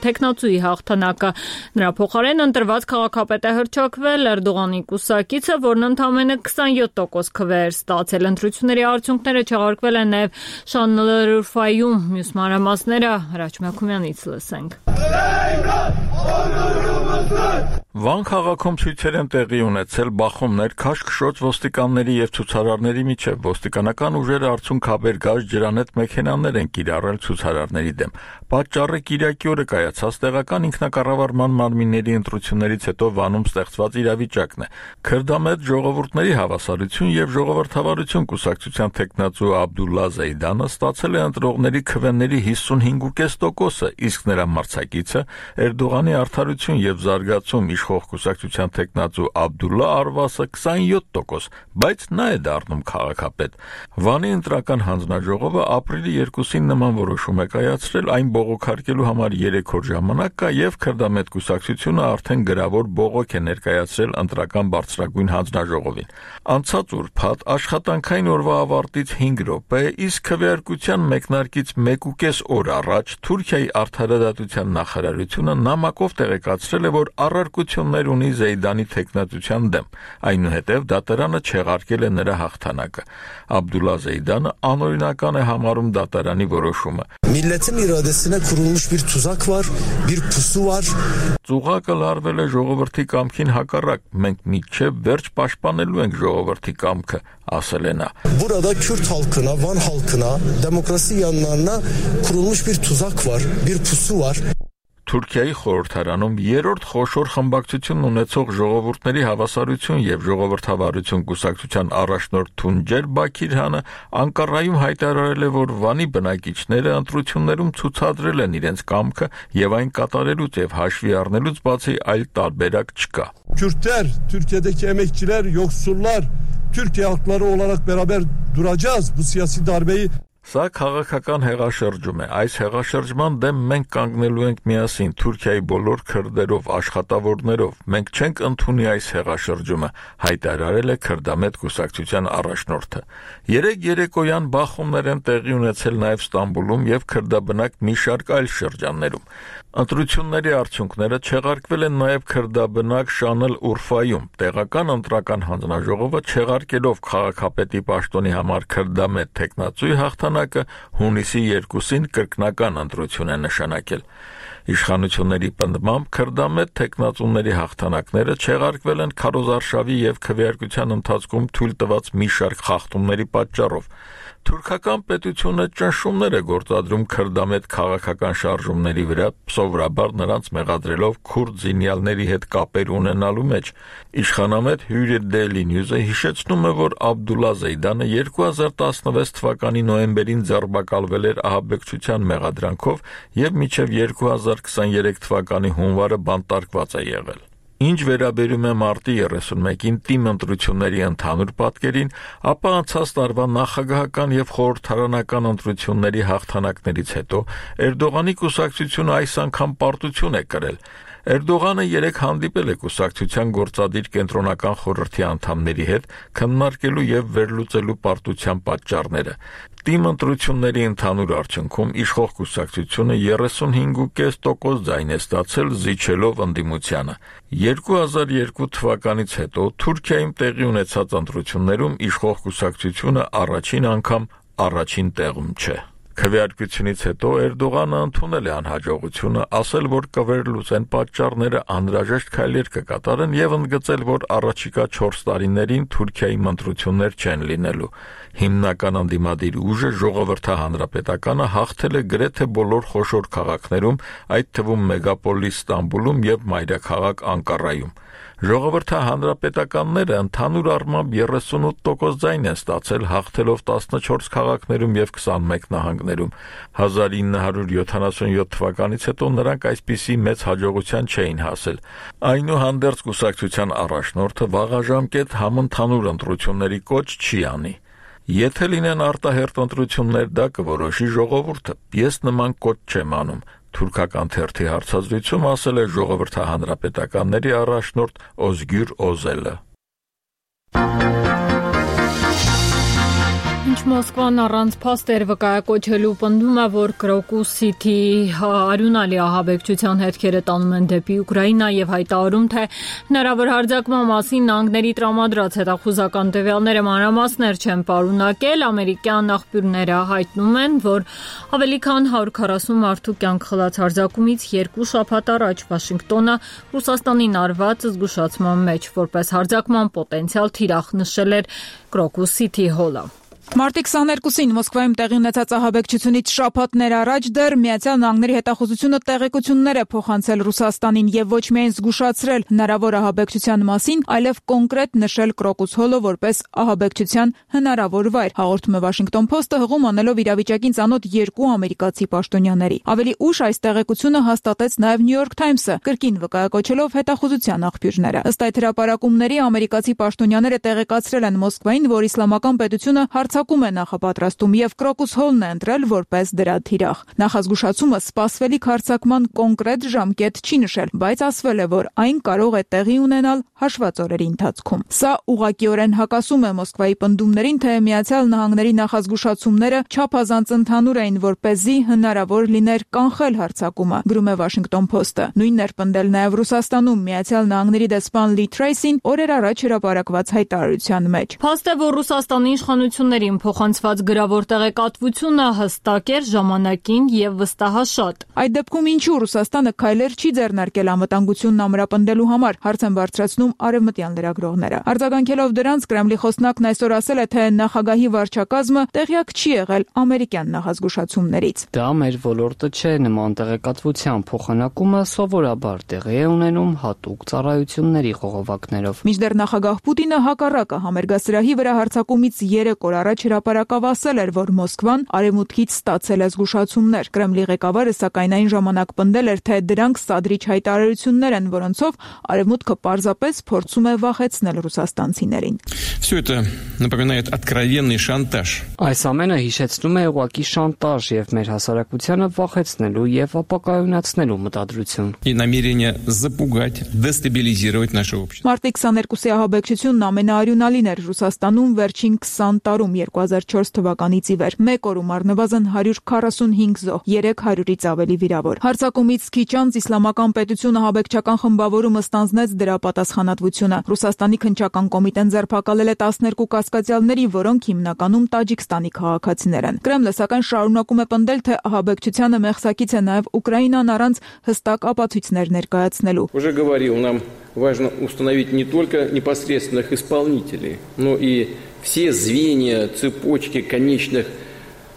տեխնացուի հաղթանակը։ Նրա փոխարեն ընտրված քաղաքապետը հռչակվել Էրդողանի կուսակիցը, որն ընդամենը 27% քվեր ստացել։ Ընտրությունների արդյունքները չեղարկվել են նաև Շանլըրֆայում։ Մյուս մանրամասները Հրաչ Մակումյանից լսենք։ Վան քաղաքում ցույցեր են տեղի ունեցել բախումներ քաշքշոց ոստիկանների եւ ցուցարարների միջև։ Ոստիկանական ուժերը արցունքաբեր գազ ջրանետ մեքենաներ են կիրառել ցուցարարների դեմ։ Պատճառը Կիրակի օրը կայացած տեղական ինքնակառավարման մարմինների ընտրություններից հետո Վանում ստեղծված իրավիճակն է։ Քրդամետ ժողովուրդների հավասարություն եւ ժողովրդավարություն կուսակցության տեխնացու Աբդուլլա Զեյդանը ստացել է ընտրողների քվեների 55%-ը, իսկ նրա մրցակիցը Էրդողանի արդարություն եւ զարգացում իշխող կուսակցության տեխնացու Աբդուլլա Արվասը 27%, բայց նա է դառնում քաղաքապետ։ Վանի ընտրական հանձնաժողովը ապրիլի 2-ին նման որոշում է կայացրել, այն բողոքարկելու համար 3 օր ժամանակ կա եւ քրդամետ կուսակցությունը արդեն գրավոր բողոք է ներկայացրել ընտրական բարձրագույն հանձնաժողովին։ Անցած ուրբաթ աշխատանքային օրվա ավարտից 5 րոպե, իսկ քվեարկության մեկնարկից 1.5 օր առաջ Թուրքիայի արդարադատության նախարարությունը նամակով տեղեկացրել է, որ առարկություններ ունի Զեյդանի տեխնացության դեմ։ Այնուհետև դատարանը չեղարկել է նրա հաղթանակը։ Աբդուլլա Զեյդանը անօրինական է համարում դատարանի որոշումը։ Milletin iradesine kurulmuş bir tuzak var, bir pusu var. Ծուղակը լարվել է ժողովրդի կամքին հակառակ, մենք մինչև վերջ պաշտպանելու ենք ժողովրդի կամքը, ասել է նա։ Burada Kürt halkına, Van halkına, demokrasi yanlarına kurulmuş bir tuzak var, bir pusu var. Թուրքիայի խորհրդարանում երրորդ խոշոր խմբակցություն ունեցող ժողովուրդների հավասարություն եւ ժողովրդավարություն կուսակցության առաջնորդ Թունջեր Բաքիրհանը Անկարայում հայտարարել է, որ Վանի բնակիչները ընտրություններում ցուցադրել են իրենց կամքը եւ այն կատարելուց եւ հաշվի առնելուց բացի այլ տարբերակ չկա։ Kürtler, Türkiye'deki emekçiler, yoksullar, Türkiye halkları olarak beraber duracağız bu siyasi darbeyi. Սա քաղաքական հեղաշրջում է։ Այս հեղաշրջման դեմ մենք կանգնելու ենք միասին Թուրքիայի բոլոր քրդերով, աշխատավորներով։ Մենք չենք ընդունի այս հեղաշրջումը, հայտարարել է քրդամետ կուսակցության առաջնորդը։ Երեկոյան բախումներ են տեղի ունեցել նաև Ստամբուլում եւ քրդաբնակ մի շարք այլ շրջաններում։ Ընտրությունների արդյունքները չեղարկվել են նաև քրդաբնակ Շանլըրֆայում։ Տեղական ընտրական հանձնաժողովը չեղարկելով քաղաքապետի պաշտոնի համար քրդամետ տեխնացուի հաղթանակը հունիսի 2-ին կրկնական ընտրություն է նշանակել։ Իշխանությունների պնդմամբ քրդամետ տեխնացուների հաղթանակները չեղարկվել են քարոզարշավի եւ քվեարկության ընթացքում թույլ տված մի շարք խախտումների պատճառով։ Թուրքական պետությունը ճնշումներ է գործադրում քրդամետ քաղաքական շարժումների վրա, սովորաբար նրանց մեղադրելով քուրդ զինյալների հետ կապեր ունենալու մեջ։ Իշխանամետ Hürriyet Daily News-ը հիշեցնում է, որ Աբդուլլա Զեյդանը 2016 թվականի նոյեմբերին ձերբակալվել էր ահաբեկչության մեղադրանքով եւ մինչեւ 2023 թվականի հունվարը բանտարկված է եղել։ Ինչ վերաբերում է մարտի 31-ին թիմ ընտրությունների ընդհանուր պատկերին, ապա անցած տարվա նախագահական եւ խորհրդարանական ընտրությունների հաղթանակներից հետո Էրդողանի կուսակցությունը այս անգամ պարտություն է կրել։ Էրդողանը 3 հանդիպել է կուսակցության գործադիր կենտրոնական խորհրդի անդամների հետ քննարկելու եւ վերլուծելու պարտության պատճառները։ Թիմ ընտրությունների ընդհանուր արդյունքում իշխող կուսակցությունը 35.5% ձայն է ստացել, զիջելով ընդդիմությանը։ 2002 թվականից հետո Թուրքիայում տեղի ունեցած ընտրություններում իշխող կուսակցությունը առաջին անգամ առաջին տեղում չէ։ Քվեարկությունից հետո Էրդողանը ընդունել է անհաջողությունը, ասել, որ կվերլուծեն պատճառները, անհրաժեշտ քայլեր կկատարեն եւ ընդգծել, որ առաջիկա 4 տարիներին Թուրքիայի ընտրություններ չեն լինելու։ Հիմնական ընդդիմադիր ուժը ժողովրդահանրապետականը հաղթել է գրեթե բոլոր խոշոր քաղաքներում, այդ թվում մեգապոլիս Ստամբուլում եւ մայրաքաղաք Անկարայում։ Ժողովրդի հանրապետականները ընդհանուր առմամբ 38% ձայն են ստացել, հաղթելով 14 քաղաքներում եւ 21 նահանգներում։ 1977 թվականից հետո նրանք այսպիսի մեծ հաջողության չէին հասել։ Այնուհանդերձ կուսակցության առաջնորդը վաղաժամկետ համընդհանուր ընտրությունների կոչ չի անի։ Եթե լինեն արտահերթ ընտրություններ, դա կորոշի ժողովուրդը։ Ես նման կոչ չեմ անում։ Թուրքական թերթի հարցազրույցում ասել է ժողովրդի հանրապետականների առաջնորդ Օզգյուր Օզելը։ Ինչ Մոսկվան առանց փաստեր վկայակոչելու պնդում է, որ Crocus City արյունալի ահաբեկչության հետքերը տանում են դեպի Ուկրաինա եւ հայտարարում, թե հնարավոր հարձակման մասին նահանգների տրամադրած հետախուզական տվյալները մանրամասներ չեն պարունակել։ Ամերիկյան աղբյուրները հայտնում են, որ ավելի քան 140 մարդու կյանք խլած հարձակումից 2 շաբաթ առաջ Վաշինգտոնը Ռուսաստանին արված զգուշացման մեջ որպես հարձակման պոտենցիալ թիրախ նշել էր Crocus City Hall-ը։ Մարտի 22-ին Մոսկվայում տեղի ունեցած ահաբեկչությունից շաբաթներ առաջ դեռ Միացյալ Նահանգների հետախուզությունը տեղեկություններ է փոխանցել Ռուսաստանին եւ ոչ միայն զգուշացրել հնարավոր ահաբեկչության մասին, այլև կոնկրետ նշել Crocus Hall-ը որպես ահաբեկչության հնարավոր վայր, հաղորդում է Washington Post-ը հղում անելով իրավիճակին ծանոթ 2 ամերիկացի պաշտոնյաների։ Ավելի ուշ այս տեղեկությունը հաստատեց նաեւ New York Times-ը, կրկին վկայակոչելով հետախուզության աղբյուրները։ Ըստ այդ հրապարակումների ամերիկացի պաշտոնյաները տեղեկացրել են Մոսկվային, որ Իսլամական պետությունը հարձակում է նախապատրաստում եւ Crocus Hall-ն է ընտրել որպես դրա թիրախ։ Նախազգուշացումը սպասվելիք հարձակման կոնկրետ ժամկետ չի նշել, բայց ասվել է, որ այն կարող է տեղի ունենալ հաշված օրերի ընթացքում։ Սա ուղղակիորեն հակասում է Մոսկվայի պնդումներին, թե Միացյալ Նահանգների նախազգուշացումները չափազանց ընդհանուր էին, որպեսզի հնարավոր լիներ կանխել հարձակումը, գրում է Washington Post-ը։ Նույնն էր պնդել նաեւ Ռուսաստանում Միացյալ Նահանգների դեսպան Լի Թրեյսին օրեր առաջ հրապարակված հայտարարության մեջ։ Փաստ է, որ Ռուսաստանի իշխանություններին փոխանցված գրավոր տեղեկատվությունը հստակ էր, ժամանակին եւ վստահաշատ։ Այդ դեպքում ինչու Ռուսաստանը քայլեր չի ձեռնարկել անվտանգությունն ամրապնդելու համար, հարց են բարձրացնում արևմտյան լրագրողները։ Արձագանքելով դրանց, Կրեմլի խոսնակն այսօր ասել է, թե նախագահի վարչակազմը տեղյակ չի եղել ամերիկյան նախազգուշացումներից։ Դա մեր ոլորտը չէ, նման տեղեկատվության փոխանակումը սովորաբար տեղի է ունենում հատուկ ծառայությունների խողովակներով։ Մինչդեռ նախագահ Պուտինը հակառակը համերգասրահի վրա հարձակումից 3 օր առաջ հրապարակավ ասել էր, որ Մոսկվան արևմուտքից ստացել է զգուշացումներ։ Կրեմլի ղեկավարը սակայն այն ժամանակ պնդել էր, թե դրանք սադրիչ հայտարարություններ են, որոնցով արևմուտքը պարզապես փորձում է վախեցնել ռուսաստանցիներին։ Всё это напоминает откровенный шантаж. Այս ամենը հիշեցնում է ուղղակի շանտաժ եւ մեր հասարակությանը վախեցնելու եւ ապակայունացնելու մտադրություն։ И намерение запугать, дестабилизировать наше общество. Մարտի 22-ի ահաբեկչությունն ամենաարյունալին էր Ռուսաստանում վերջին 20 տարում 2004 թվականից ի վեր։ Մեկ օրում առնվազն 145 զոհ, 300-ից ավելի վիրավոր։ Հարձակումից քիչ անց Իսլամական պետությունը ահաբեկչական խմբավորումը ստանձնեց դրա պատասխանատվությունը։ Ռուսաստանի քննչական կոմիտեն ձերբակալել է 12 կասկածյալների, որոնք հիմնականում Տաջիկստանի քաղաքացիներ են։ Կրեմլը սակայն շարունակում է պնդել, թե ահաբեկչությանը մեղսակից է նաև Ուկրաինան առանց հստակ ապացույցներ ներկայացնելու։ Уже говорил, нам важно установить не только непосредственных исполнителей, но и все звенья, цепочки конечных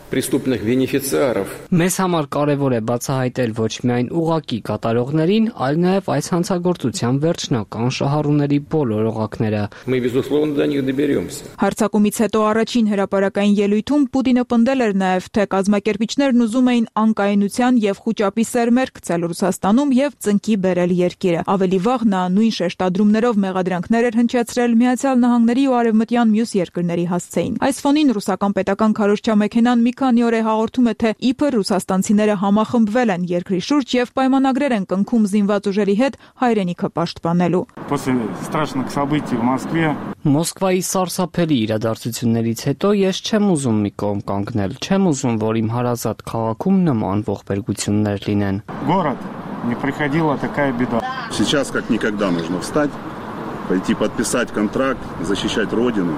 преступных бенефициаров. Մեզ համար կարևոր է բացահայտել ոչ միայն ուղղակի կատարողներին, այլ նաև այս հանցագործության վերջնական շահառուների բոլոր օղակները։ Мы безусловно до них доберемся. Հարձակումից հետո առաջին հրապարակային ելույթում Պուտինը պնդել էր նաև, թե կազմակերպիչներն ուզում էին անկայունության եւ խուճապի սերմեր գցել Ռուսաստանում եւ ծնկի բերել երկիրը։ Ավելի վաղ նա նույն շեշտադրումներով մեղադրանքներ էր հնչեցրել Միացյալ Նահանգների ու արևմտյան մյուս երկրների հասցեին։ Այս ֆոնին ռուսական պետական քարոզչա մեքենան մի քանի օր է հաղորդում է, թե իբր ռուսաստանցիները համախմբվել են երկրի շուրջ եւ պայմանագրեր են կնքում զինված ուժերի հետ հայրենիքը պաշտպանելու։ После страшных событий в Москве Մոսկվայի սարսափելի իրադարձություններից հետո ես չեմ ուզում մի կողմ կանգնել, չեմ уզում, որ իմ հարազատ քաղաքում նման ողբերգություններ լինեն։ Город не приходила такая беда. Сейчас как никогда нужно встать, пойти подписать контракт, защищать родину.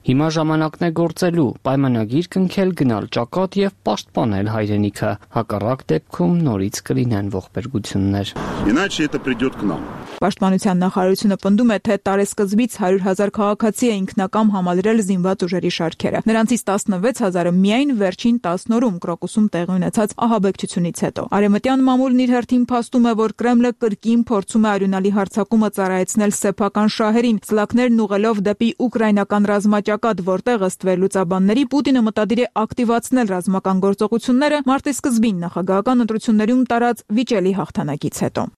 Հիմա ժամանակն է գործելու, պայմանագիր կնքել, գնալ ճակատ եւ պաշտպանել հայրենիքը։ Հակառակ դեպքում նորից կլինեն ողբերգություններ։ Иначе это придет к нам. Պաշտպանության նախարարությունը պնդում է, թե տարեսկզբից 100,000 քաղաքացի է ինքնակամ համալրել զինված ուժերի շարքերը։ Նրանցից 16,000-ը միայն վերջին 10 օրում Կրոկուսում տեղի ունեցած ահաբեկչությունից հետո։ Արևմտյան մամուլն իր հերթին փաստում է, որ Կրեմլը կրկին փորձում է արյունալի հարձակումը ծառայեցնել սեփական շահերին, սլաքներն ուղղելով դեպի ուկրաինական ռազմաճակատ, որտեղ ըստ վերլուծաբանների Պուտինը մտադիր է ակտիվացնել ռազմական գործողությունները մարտի սկզբին նախագահական ընտրություններում տարած վիճելի հաղթանակից հետո։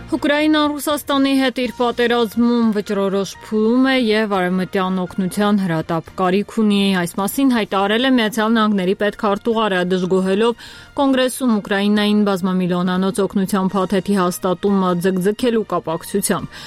Ուկրաինան Ռուսաստանի հետ իր պատերազմում վճռորոշ փուլում է եւ արևմտյան օգնության հրատապ կարիք ունի։ Այս մասին հայտարարել է Միացյալ Նահանգների պետքարտուղարը, դժգոհելով Կոնգրեսում Ուկրաինային բազմամիլիոնանոց օգնության փաթեթի հաստատումը ձգձգելու կապակցությամբ։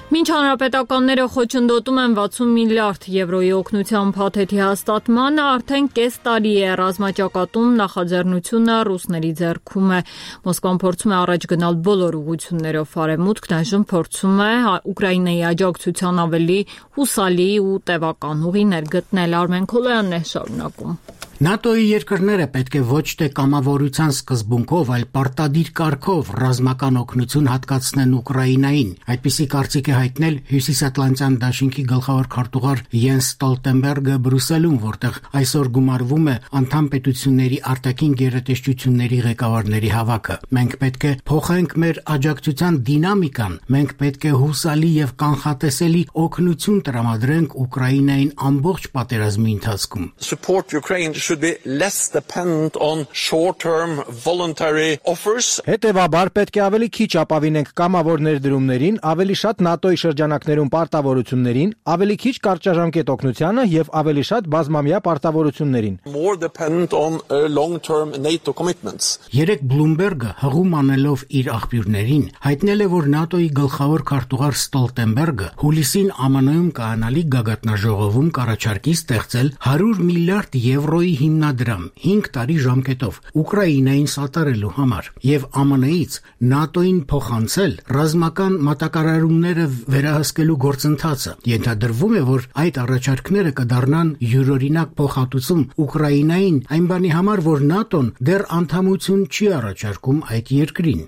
Մինչ հանրապետականները խոչընդոտում են 60 միլիարդ եվրոյի օգնության փաթեթի հաստատմանը, արդեն կես տարի է ռազմաճակատում նախաձեռնությունը ռուսների ձեռքում է։ Մոսկվան փորձում է առաջ գնալ բոլոր ուղղություններով, արևմուտքն այժմ փորձում է Ուկրաինայի աջակցության ավելի հուսալի ու տևական ուղիներ գտնել։ Արմեն Քոլոյանն է շարունակում։ ՆԱՏՕ-ի երկրները պետք է ոչ թե կամավորության սկզբունքով, այլ պարտադիր կարգով ռազմական օգնություն հատկացնեն Ուկրաինային։ Այդպիսի կարծիք է հայտնել Հյուսիսատլանտյան դաշինքի գլխավոր քարտուղար Յենս Ստոլտենբերգը Բրյուսելում, որտեղ այսօր գումարվում է անդամ պետությունների արտաքին գերատեսչությունների ղեկավարների հավաքը։ Մենք պետք է փոխենք մեր աջակցության դինամիկան, մենք պետք է հուսալի եւ կանխատեսելի օգնություն տրամադրենք Ուկրաինային ամբողջ պատերազմի ընթացքում։ Support Ukraine should be less dependent on short-term voluntary offers. Հետևաբար պետք է ավելի քիչ ապավինենք կամավոր ներդրումներին, ավելի շատ ՆԱՏՕ-ի շրջանակներում պարտավորություններին, ավելի քիչ կարճաժամկետ օգնությանը եւ ավելի շատ բազմամյա պարտավորություններին։ More dependent on long-term NATO commitments. Երեք Բլումբերգը հղում անելով իր աղբյուրներին հայտնել է, որ ՆԱՏՕ-ի գլխավոր քարտուղար Ստոլտենբերգը հուլիսին ԱՄՆ-ում կայանալի գագաթնաժողովում կառաջարկի ստեղծել 100 միլիարդ եվրոյի հիմնադրամ 5 տարի ժամկետով Ուկրաինային սատարելու համար եւ ԱՄՆ-ից ՆԱՏՕ-ին փոխանցել ռազմական մատակարարումները վերահսկելու գործընթացը։ Ենթադրվում է, որ այդ առաջարկները կդառնան յուրօրինակ փոխհատուցում Ուկրաինային այն բանի համար, որ ՆԱՏՕ-ն դեռ անդամություն չի առաջարկում այդ երկրին։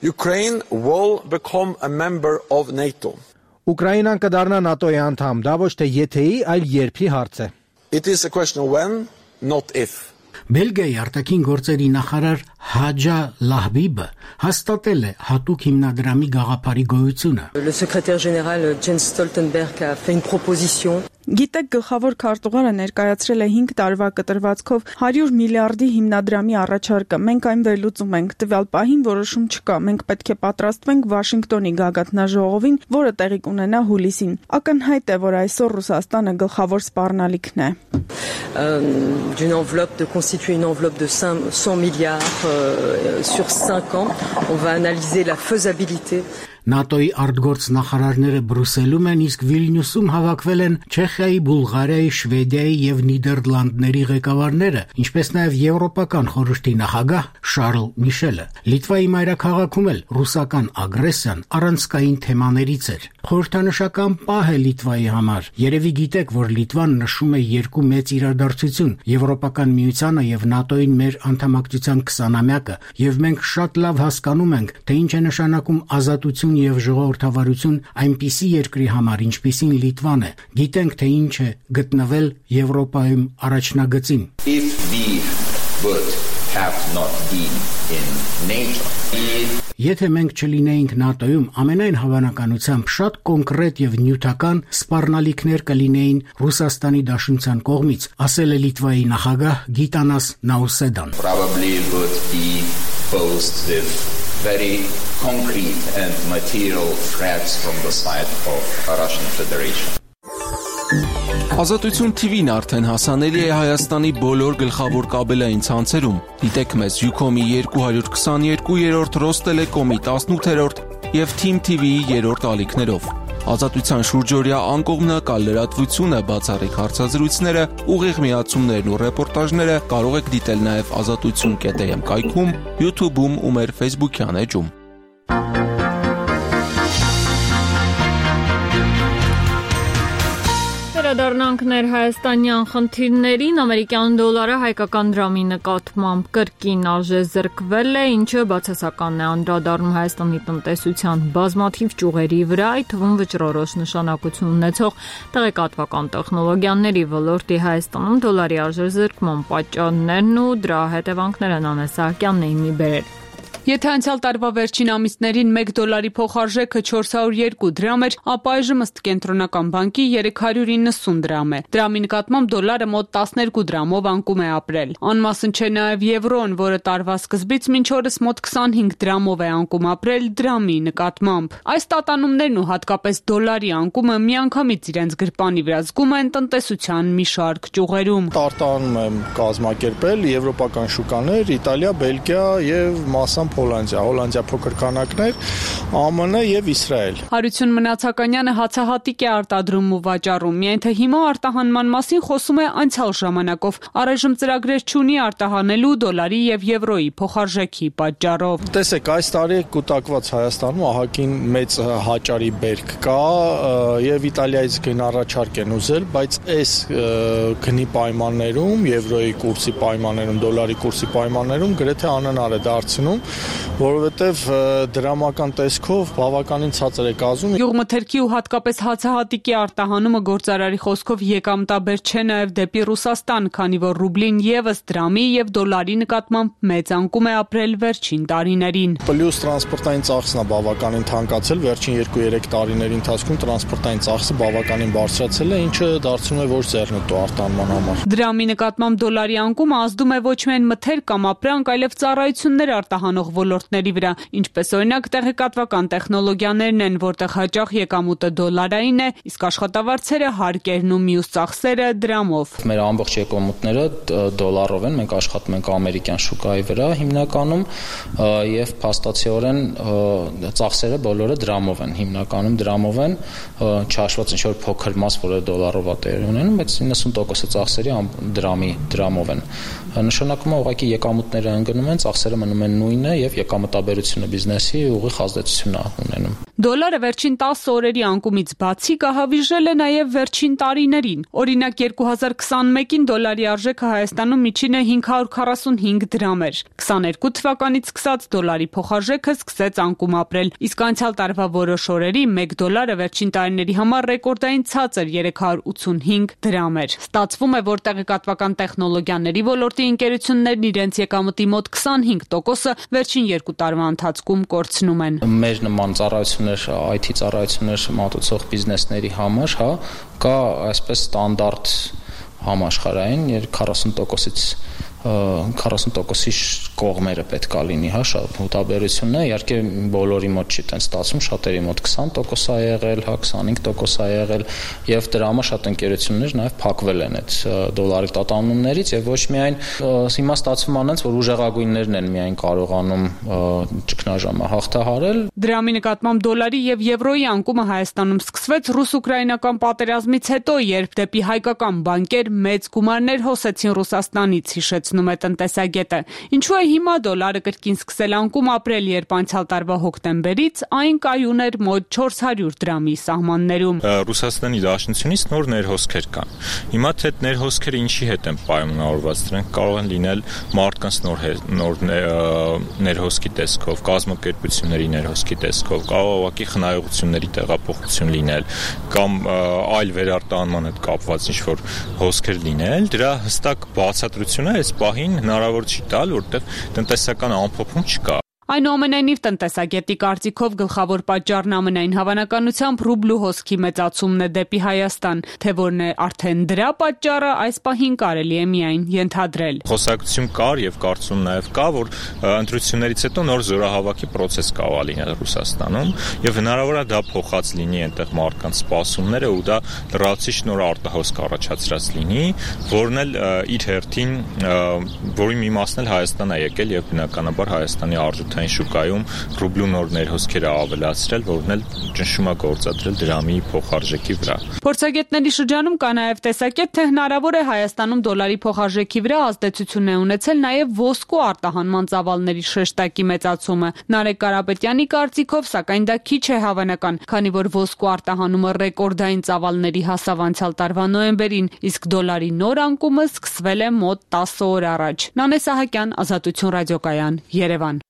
Ukraine will become a member of NATO. Ուկրաինան կդառնա ՆԱՏՕ-ի անդամ, դա ոչ թե եթեի, այլ երբի հարց է։ It is a question of when, not if. Բելգիայի արտաքին գործերի նախարար Հաջա Լահբիբը հաստատել է հատուկ հիմնադրամի գաղափարի գոյությունը։ Le secrétaire général Jens Stoltenberg a fait une proposition. Գիտեք, գլխավոր քարտուղարը ներկայացրել է 5 տարվա կտրվածքով 100 միլիարդի հիմնադրամի առաջարկը։ Մենք այն վերլուծում ենք։ Տվյալ պահին որոշում չկա։ Մենք պետք է պատրաստվենք Վաշինգտոնի գագաթնաժողովին, որը տեղի կունենա հուլիսին։ Ակնհայտ է, որ այսօր Ռուսաստանը գլխավոր սպառնալիքն է։ D'une enveloppe de constituer une enveloppe de 100 milliards sur 5 ans. On va analyser la faisabilité. ՆԱՏՕ-ի արտգործ նախարարները Բրյուսելում են, իսկ Վիլնյուսում հավաքվել են Չեխիայի, Բուլղարիայի, Շվեդիայի եւ Նիդերլանդների ղեկավարները, ինչպես նաեւ Եվրոպական խորհրդի նախագահ Շարլ Միշելը։ Լիտվայի մայրաքաղաքում էլ ռուսական ագրեսիան առանցքային թեմաներից էր։ Խորհրդանշական պահ է Լիտվայի համար։ Երևի գիտեք, որ Լիտվան նշում է երկու մեծ իրադարձություն՝ Եվրոպական միությանը եւ ՆԱՏՕ-ին մեր անդամակցության 20-ամյակը, եւ մենք շատ լավ հասկանում ենք, թե ինչ է նշանակում ազատություն եւ ժողովրդավարություն այնպիսի երկրի համար, ինչպիսին Լիտվան է։ Գիտենք, թե ինչ է գտնվել Եվրոպայում առաջնագծին։ If we would have not been in NATO. Եթե մենք չլինեինք ՆԱՏՕ-ում, ամենայն հավանականությամբ շատ կոնկրետ եւ նյութական սպառնալիքներ կլինեին Ռուսաստանի Դաշնության կողմից, ասել է Լիտվայի նախագահ Գիտանաս Նաուսեդան։ Probably would be posed with very concrete and material threats from the side of Russian Federation. Ազատություն TV-ն արդեն հասանելի է Հայաստանի բոլոր գլխավոր կաբելային ցանցերում։ Դիտեք մեզ Ucom-ի 222-րդ, Ռոստելեկոմի 18-րդ եւ Team TV-ի 3-րդ ալիքներով։ Ազատության շուրջօրյա անկողմնակալ լրատվությունը, բացառիկ հարցազրույցները, ուղիղ միացումներն ու ռեպորտաժները կարող եք դիտել նաև azatutsun.am կայքում, YouTube-ում ու մեր Facebook-յան էջում։ Անդրադառնանք ներհայաստանյան խնդիրներին, ամերիկյան դոլարը հայկական դրամի նկատմամբ կրկին արժե զրկվել է, ինչը բացասական է անդրադառնում Հայաստանի տնտեսության բազմաթիվ ճյուղերի վրա, այդ թվում վճռորոշ նշանակություն ունեցող տեղեկատվական տեխնոլոգիաների ոլորտի Հայաստանում դոլարի արժեզրկման պատճառներն ու դրա հետևանքները Նանե Սահակյանն էին մի բերել։ Եթե անցյալ տարվա վերջին ամիսներին 1 դոլարի փոխարժեքը 402 դրամ էր, ապա այժմ ըստ կենտրոնական բանկի 390 դրամ է։ Դրամի նկատմամբ դոլարը մոտ 12 դրամով անկում է ապրել։ Անմասն չէ նաև եվրոն, որը տարվա սկզբից մինչ օրս մոտ 25 դրամով է անկում ապրել դրամի նկատմամբ։ Այս տատանումներն ու հատկապես դոլարի անկումը միանգամից իրենց գրպանի վրա զգում են տնտեսության մի շարք ճյուղերում։ Արտահանում եմ կազմակերպել եվրոպական շուկաներ, Իտալիա, Բելգիա եւ մասամբ Հոլանդիա փոքր քանակներ, ԱՄՆ եւ Իսրայել։ Հարություն Մնացականյանը հացահատիկ է արտադրում ու վաճառում, միայն թե հիմա արտահանման մասին խոսում է անցյալ ժամանակով, առայժմ ծրագրեր չունի արտահանելու դոլարի եւ եվրոյի փոխարժեքի պատճառով։ Տեսեք, այս տարի կուտակված Հայաստանում ահագին մեծ հաճարի բերք կա եւ Իտալիայից գն առաջարկ են ուզել, բայց այս գնի պայմաններում, եվրոյի կուրսի պայմաններում, դոլարի կուրսի պայմաններում գրեթե անհնար է դարձնում, որովհետև դրամական տեսքով բավականին ցածր է կազմում։ Գյուղմթերքի ու հատկապես հացահատիկի արտահանումը գործարարի խոսքով եկամտաբեր չէ նաև դեպի Ռուսաստան, քանի որ ռուբլին եւս դրամի եւ դոլարի նկատմամբ մեծ անկում է ապրել վերջին տարիներին։ Պլյուս տրանսպորտային ծախսն է բավականին թանկացել, վերջին 2-3 տարիների ընթացքում տրանսպորտային ծախսը բավականին բարձրացել է, ինչը դարձնում է ոչ ձեռնտու արտահանման համար։ Դրամի նկատմամբ դոլարի անկումը ազդում է ոչ միայն մթերք կամ ապրանք, այլև ծառայություններ արտահանող ոլորտների վրա, ինչպես օրինակ տեղեկատվական տեխնոլոգիաներն են, որտեղ հաճախ եկամուտը դոլարային է, իսկ աշխատավարձերը, հարկերն ու մյուս ծախսերը դրամով։ Մեր ամբողջ եկամուտները դոլարով են, մենք աշխատում ենք ամերիկյան շուկայի վրա հիմնականում եւ փաստացիորեն ծախսերը բոլորը դրամով են, հիմնականում դրամով են, չհաշված ինչ-որ փոքր մաս, որը դոլարով է տեղի ունենում, բայց 90% ծախսերի դրամով են։ Նշանակում է ուղղակի եկամուտները ընկնում են, ծախսերը մնում են նույնը եւ եկամտաբերությունը բիզնեսի ուղիղ ազդեցություն է ունենում։ Դոլարը վերջին 10 օրերի անկումից բացի կահավիժել է նաև վերջին տարիներին։ Օրինակ 2021-ին դոլարի արժեքը Հայաստանում միջինը 545 դրամ էր։ 22 թվականից սկսած դոլարի փոխարժեքը սկսեց անկում ապրել, իսկ անցյալ տարվա որոշ օրերի 1 դոլարը վերջին տարիների համար ռեկորդային ցածր 385 դրամ էր։ Ստացվում է, որ տեղեկատվական տեխնոլոգիաների ոլորտի ընկերություններն իրենց եկամտի մոտ 25%-ը վերջին 2 տարվա ընթացքում կորցնում են։ Մեր նման ծառայություններ, IT ծառայություններ մատուցող բիզնեսների համար, կա այսպես ստանդարտ համաշխարհային 40%-ի կողմերը պետք է լինի, շատ հոտաբերությունն է, իհարկե բոլորի մոտ չի տենց ստացվում, շատերի մոտ 20% է եղել, 25% է եղել եւ դրամը շատ ընկերություններ նաեւ փակվել են այդ դոլարի տատանումներից եւ ոչ միայն հիմա ստացվում անց, որ ուժեղագույններն են միայն կարողանում ճգնաժամը հաղթահարել։ Դրամի նկատմամբ դոլարի եւ եվրոյի անկումը Հայաստանում սկսվեց ռուս-ուկրաինական պատերազմից հետո, երբ դեպի հայկական բանկեր մեծ գումարներ հոսեցին Ռուսաստանից, հիշեցնում է տնտեսագետը։ Ինչու է հիմա դոլարը կրկին սկսել անկում ապրել, երբ անցյալ տարվա հոկտեմբերից այն կայուն էր մոտ 400 դրամի սահմաններում։ Ռուսաստանի Դաշնությունից նոր ներհոսքեր կան։ Հիմա թե այդ ներհոսքերը ինչի հետ են պայմանավորված, դրանք կարող են լինել մարդկանց նոր ներհոսքի տեսքով, կազմակերպությունների ներհոսքի տեսքով, կարող է ուղղակի խնայողությունների տեղափոխություն լինել կամ այլ վերարտահանման հետ կապված ինչ-որ հոսքեր լինել, դրա հստակ բացատրությունը այս պահին հնարավոր չի տալ, որտեղ տնտեսական ամփոփում չկա։ Այնուամենայնիվ տնտեսագետի կարծիքով գլխավոր պատճառն ամենայն հավանականությամբ ռուբլու հոսքի մեծացումն է դեպի Հայաստան, թե որն է արդեն դրա պատճառը, այս պահին կարելի է միայն ենթադրել։ Խոսակցություն կար եւ կարծում նաեւ կա, որ ընտրություններից հետո նոր զորահավաքի process կարող է լինել Ռուսաստանում եւ հնարավոր է դա փոխած լինի այնտեղ մարդկանց սպասումները ու դա լրացուցիչ նոր արտահոսք առաջացրած լինի, որն էլ իր հերթին որի մի մասն էլ Հայաստան է եկել եւ բնականաբար Հայաստանի արժույթը միջազգային շուկայում ռուբլու նոր ներհոսքերը ավելացրել, որն էլ ճնշում է գործադրել դրամի փոխարժեքի վրա։ Փորձագետների շրջանում կա նաև տեսակետ, թե հնարավոր է Հայաստանում դոլարի փոխարժեքի վրա ազդեցություն է ունեցել նաև ոսկու արտահանման ծավալների շեշտակի մեծացումը։ Նարեկ Կարապետյանի կարծիքով, սակայն դա քիչ է հավանական, քանի որ ոսկու արտահանումը ռեկորդային ծավալների հասավ անցյալ տարվա նոյեմբերին, իսկ դոլարի նոր անկումը սկսվել է մոտ 10 օր առաջ։ Նանե Սահակյան, Ազատություն ռադիոկայան, Երևան։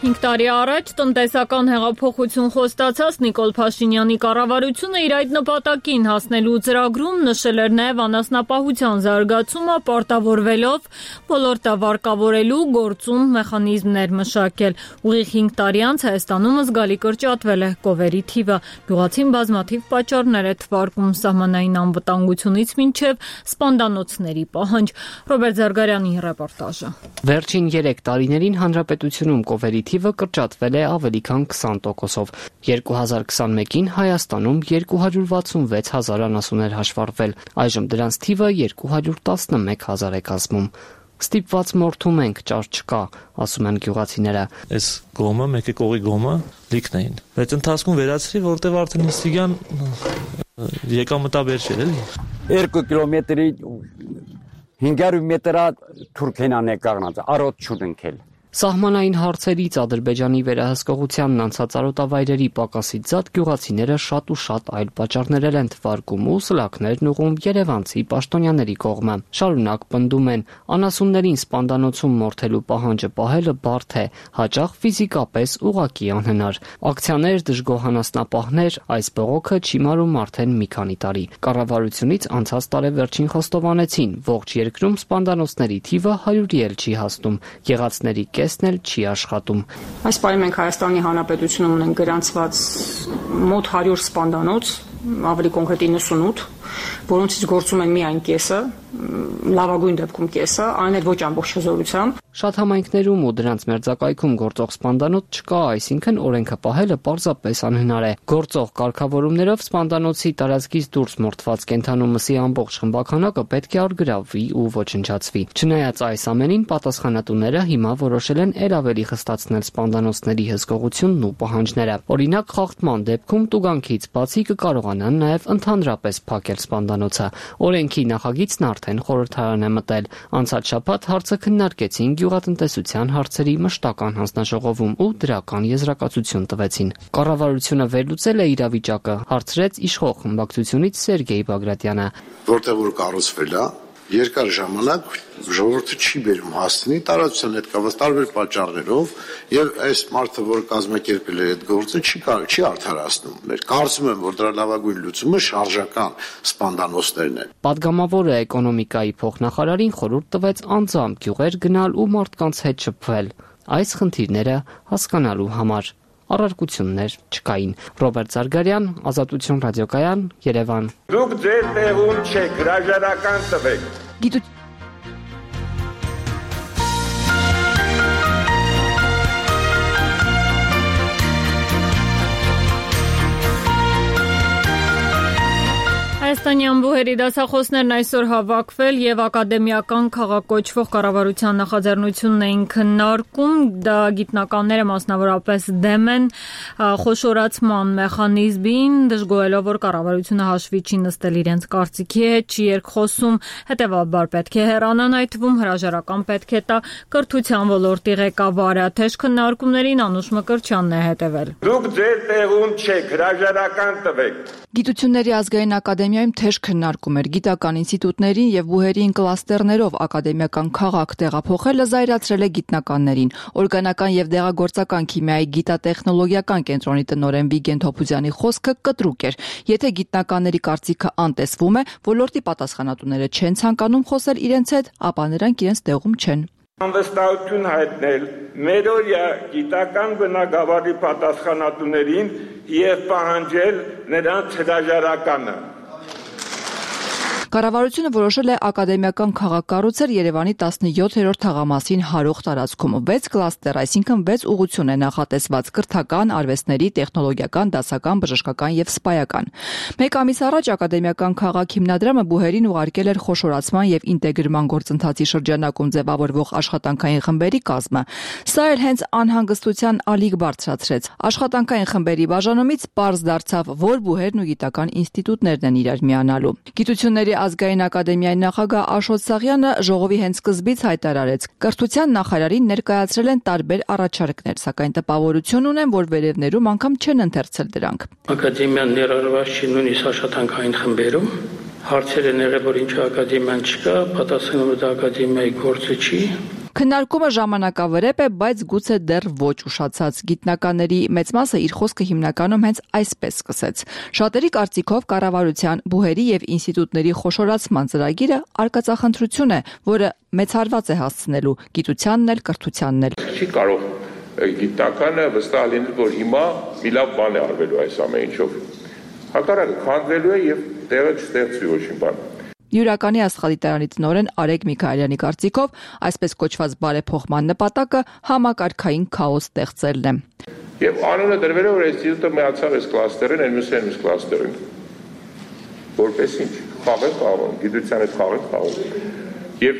5 տարի առաջ տնտեսական հեղափոխություն խոստացած Նիկոլ Փաշինյանի կառավարությունը իր այդ նպատակին հասնելու ծրագրում նշել էր նաև անասնապահության զարգացումը, պարտավորվելով ոլորտը վարկավորելու գործում մեխանիզմներ մշակել։ Ուղիղ 5 տարի անց Հայաստանում զգալի կրճատվել է կովերի թիվը։ Գյուղացին բազմաթիվ պատճառներ է թվարկում սահմանային անվտանգությունից մինչև սպանդանոցների պահանջ։ Ռոբերտ Զարգարյանի ռեպորտաժը։ Վերջին 3 տարիներին հանրապետությունում կովերի թիվը կրճատվել է ավելի քան 20%-ով։ 2021-ին Հայաստանում 266 հազար անասուններ հաշվառվել, այժմ դրանց թիվը 211 հազար է կազմում։ Ստիպված մորթում ենք, ճար չկա, ասում են գյուղացիները։ Այս գոմը, մեկը կողի գոմը լիքն էին։ Բայց ընթացքում վերացրի, որտեղ արդեն ինստիգան եկամտաբեր չէր, էլի։ 2 կիլոմետրի 500 մետրա Թուրքենան է կանգնած, արոտ չունենքել։ Սահմանային հարցերից Ադրբեջանի վերահսկողությանն անցած արոտավայրերի պակասից զատ գյուղացիները շատ ու շատ այլ պատճառներ են թվարկում ու սլաքներն ուղում երևանցի պաշտոնյաների կողմը։ Շարունակ պնդում են, անասուններին սպանդանոցում մորթելու պահանջը պահելը բարդ է, հաճախ ֆիզիկապես ուղղակի անհնար։ Ակցիաներ, դժգոհ անասնապահներ, այս բողոքը չի մարում արդեն մի քանի տարի։ Կառավարությունից անցած տարեվերջին խոստովանեցին, ողջ երկրում սպանդանոցների թիվը 100-ի էլ չի հասնում, եղածների կեսն էլ չի աշխատում։ Այս պահին մենք Հայաստանի Հանրապետությունում ունենք գրանցված մոտ 100 սպանդանոց, ավելի կոնկրետ 98, որոնցից գործում են միայն կեսը, լավագույն դեպքում կեսը, այն էլ ոչ ամբողջ հզորությամբ։ Շատ համայնքներում ու դրանց մերձակայքում գործող սպանդանոց չկա, այսինքն օրենքը պահելը պարզապես անհնար է։ Գործող կարգավորումներով սպանդանոցի տարածքից դուրս մորթված կենդանու մսի ամբողջ խմբականակը պետք է արգրավվի ու ոչնչացվի։ Չնայած այս ամենին, պատասխանատուները հիմա որոշել են ել ավելի խստացնել սպանդանոցների հսկողությունն ու պահանջները։ Օրինակ, խախտման դեպքում տուգանքից բացի կկարողանան նաև ընդհանրապես փակել սպանդանոցը։ Օրենքի նախագիծն արդեն խորհրդարան է մտել։ Անցած շաբաթ հարցը քննարկեցին գյուղատնտեսության հարցերի մշտական հանձնաժողովում ու դրական եզրակացություն տվեցին։ Կառավարությունը վերլուծել է իրավիճակը, հարցրեց իշխող խմբակցությունից Սերգեյ Բագրատյանը։ Որտեղ որ կառուցվել է, երկար ժամանակ ժողովուրդը չի բերում հասցնի տարածության հետ կապված տարբեր պատճառներով եւ այս մարդը, որ կազմակերպել է այդ գործը, չի արդարացնում։ Մեր կարծում եմ, որ դրա լավագույն լուծումը շարժական սպանդանոցներն են։ Պատգամավորը էկոնոմիկայի փոխնախարարին խորհուրդ տվեց անձամբ գյուղեր գնալ ու մարդկանց հետ շփվել այս խնդիրները հասկանալու համար։ Առարկություններ չկային։ Ռոբերտ Զարգարյան, Ազատություն ռադիոկայան, Երևան։ Դուք ձեր տեղում չեք, հրաժարական տվեք։ Հայաստանյան բուհերի դասախոսներն այսօր հավաքվել եւ ակադեմիական քաղաքոչվող կառավարության նախաձեռնությունն էին քննարկում։ Դա գիտնականները մասնավորապես դեմ են խոշորացման մեխանիզմին, դժգոհելով, որ կառավարությունը հաշվի չի նստել իրենց կարծիքի հետ, չի երկխոսում, հետեւաբար պետք է հեռանան, այդ թվում հրաժարական պետք է տա կրթության ոլորտի ղեկավարը։ Թեժ քննարկումներին Անուշ Մկրտչյանն է հետևել։ Դուք ձեր տեղում չեք, հրաժարական տվեք։ Գիտությունների ազգային ակադեմիայում թեժ քննարկում էր գիտական ինստիտուտներին եւ բուհերին կլաստերներով ակադեմիական քաղաք տեղափոխելը զայրացրել է գիտնականներին։ Օրգանական եւ դեղագործական քիմիայի գիտատեխնոլոգիական կենտրոնի տնօրեն Վիգեն Թոփուզյանի խոսքը կտրուկ էր։ Եթե գիտնականների կարծիքը անտեսվում է, ոլորտի պատասխանատուները չեն ցանկանում խոսել իրենց հետ, ապա նրանք իրենց տեղում չեն։ Անվստահություն հայտնել մերօրյա գիտական բնագավառի պատասխանատուներին եւ պահանջել նրանց հրաժարականը։ Կառավարությունը որոշել է ակադեմիական քաղաք կառուցել Երևանի 17-րդ թաղամասին հարող տարածքում 6 կլաստեր, այսինքն 6 ուղղություն է նախատեսված՝ կրթական, արվեստների, տեխնոլոգիական, դասական, բժշկական եւ սպայական։ Մեկ ամիս առաջ ակադեմիական քաղաք հիմնադրամը բուհերին ուղարկել էր խոշորացման եւ ինտեգրման գործընթացի շրջանակում ձևավորվող աշխատանքային խմբերի կազմը։ Սա էլ հենց անհանգստության ալիք բարձրացրեց։ Աշխատանքային խմբերի բաժանումից պարզ դարձավ, որ բուհերն ու գիտական ինստիտուտներն են իրար միանալու։ Գիտությունների ազգային ակադեմիայի նախագահ Աշոտ Սաղյանը ժողովի հենց սկզբից հայտարարեց. կրթության նախարարին ներկայացրել են տարբեր առաջարկներ, սակայն տպավորություն ունեն, որ վերևներում անգամ չեն ընթերցել դրանք։ Ակադեմիան ներառված չի նույնիսկ աշխատանքային խմբերում։ Հարցեր են եղել, որ ինչու ակադեմիան չկա, պատասխանումը դա ակադեմիայի գործը չի։ Քննարկումը ժամանակավրեպ է, բայց գուցե դեռ ոչ ուշացած։ Գիտնականների մեծ մասը իր խոսքը հիմնականում հենց այսպես սկսեց։ Շատերի կարծիքով կառավարության, բուհերի եւ ինստիտուտների խոշորացման ծրագիրը արկածախնդրություն է, որը մեծ հարված է հասցնելու գիտությանն էլ, կրթությանն էլ։ Չի կարող գիտնականը վստահ լինել, որ հիմա մի լավ բան է արվելու այս ամեն ինչով։ Հակառակը քանդվելու է եւ տեղը չստեղծվի ոչ մի բան։ Յուրականի աստղադիտարանի տնօրեն Արեգ Միքայելյանի կարծիքով այսպես կոչված բարեփոխման նպատակը համակարգային քաոս ստեղծելն է։ Եվ անունը դրվել է, որ ինստիտուտը միացավ այս կլաստերին, այս կլաստերին։ Որպես ինչ, խաղ գիտության հետ խաղ։ Եվ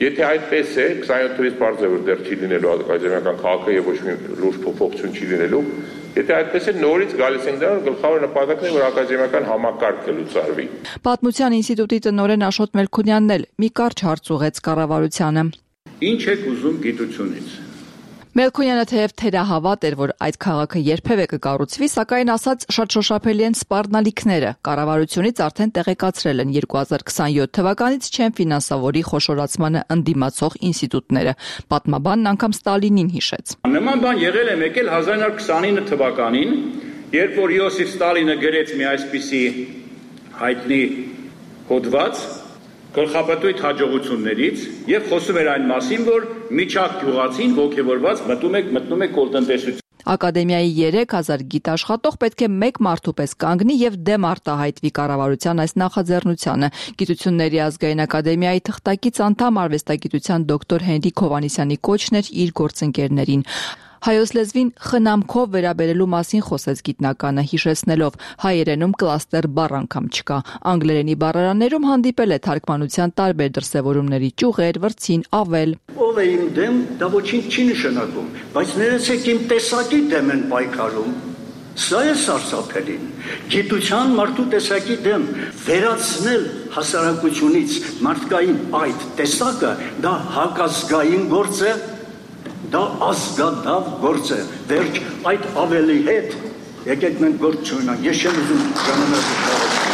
եթե այդպես է, 27 թվականից բարձր է, որ դեռ չի լինելու ակադեմիական քաղաքը եւ ոչ մի լուրջ փոփոխություն չի լինելու։ Եթե այդպես է, նորից գալիս ենք դրան, գլխավոր նպատակն է, որ ակադեմիական համակարգը լուծարվի։ Պատմության ինստիտուտի տնօրեն Աշոտ Մելքոնյանն էլ մի կարճ հարց ուղղեց կառավարությանը։ Ինչ եք ուզում գիտությունից։ Մելքոնյանը թեև թերահավատ էր, որ այդ քաղաքը երբևէ կկառուցվի, սակայն ասաց շատ շոշափելի են սպառնալիքները։ Կառավարությունից արդեն տեղեկացրել են 2027 թվականից չեն ֆինանսավորի խոշորացմանը ընդդիմացող ինստիտուտները։ Պատմաբանն անգամ Ստալինին հիշեց։ Նման բան եղել է մեկ էլ 1929 թվականին, երբ որ Յոսիֆ Ստալինը գրեց մի այսպիսի հայտնի հոդված գլխապտույտ հաջողություններից եւ խոսում էր այն մասին, որ միջակ գյուղացին ողջևորված մտնում է կոլտնտեսություն։ Ակադեմիայի 3000 գիտ աշխատող պետք է մեկ մարդու պես կանգնի եւ դեմ արտահայտվի կառավարության այս նախաձեռնությանը։ Գիտությունների ազգային ակադեմիայի թղթակից անդամ արվեստագիտության դոկտոր Հենրիկ Հովհաննիսյանի կոչն էր իր գործընկերներին։ Հայոց լեզվին խնամքով վերաբերելու մասին խոսեց գիտնականը, հիշեցնելով հայերենում կլաստեր բառ անգամ չկա։ Անգլերենի բառարաններում հանդիպել է թարգմանության տարբեր դրսևորումների ճյուղեր, վրցին, ավել։ Ով է իմ դեմ, դա ոչինչ չի նշանակում, բայց ներեցեք իմ տեսակի դեմ են պայքարում։ Սա է սարսափելին։ Գիտության մարդու տեսակի դեմ վերացնել հասարակությունից մարդկային այդ տեսակը դա հակազգային գործ է։ Դա ազգադավ գործ է, վերջ այդ ավելի հետ, եկեք մենք գործ չունենանք, ես չեմ ուզում ժամանակը շարունակել։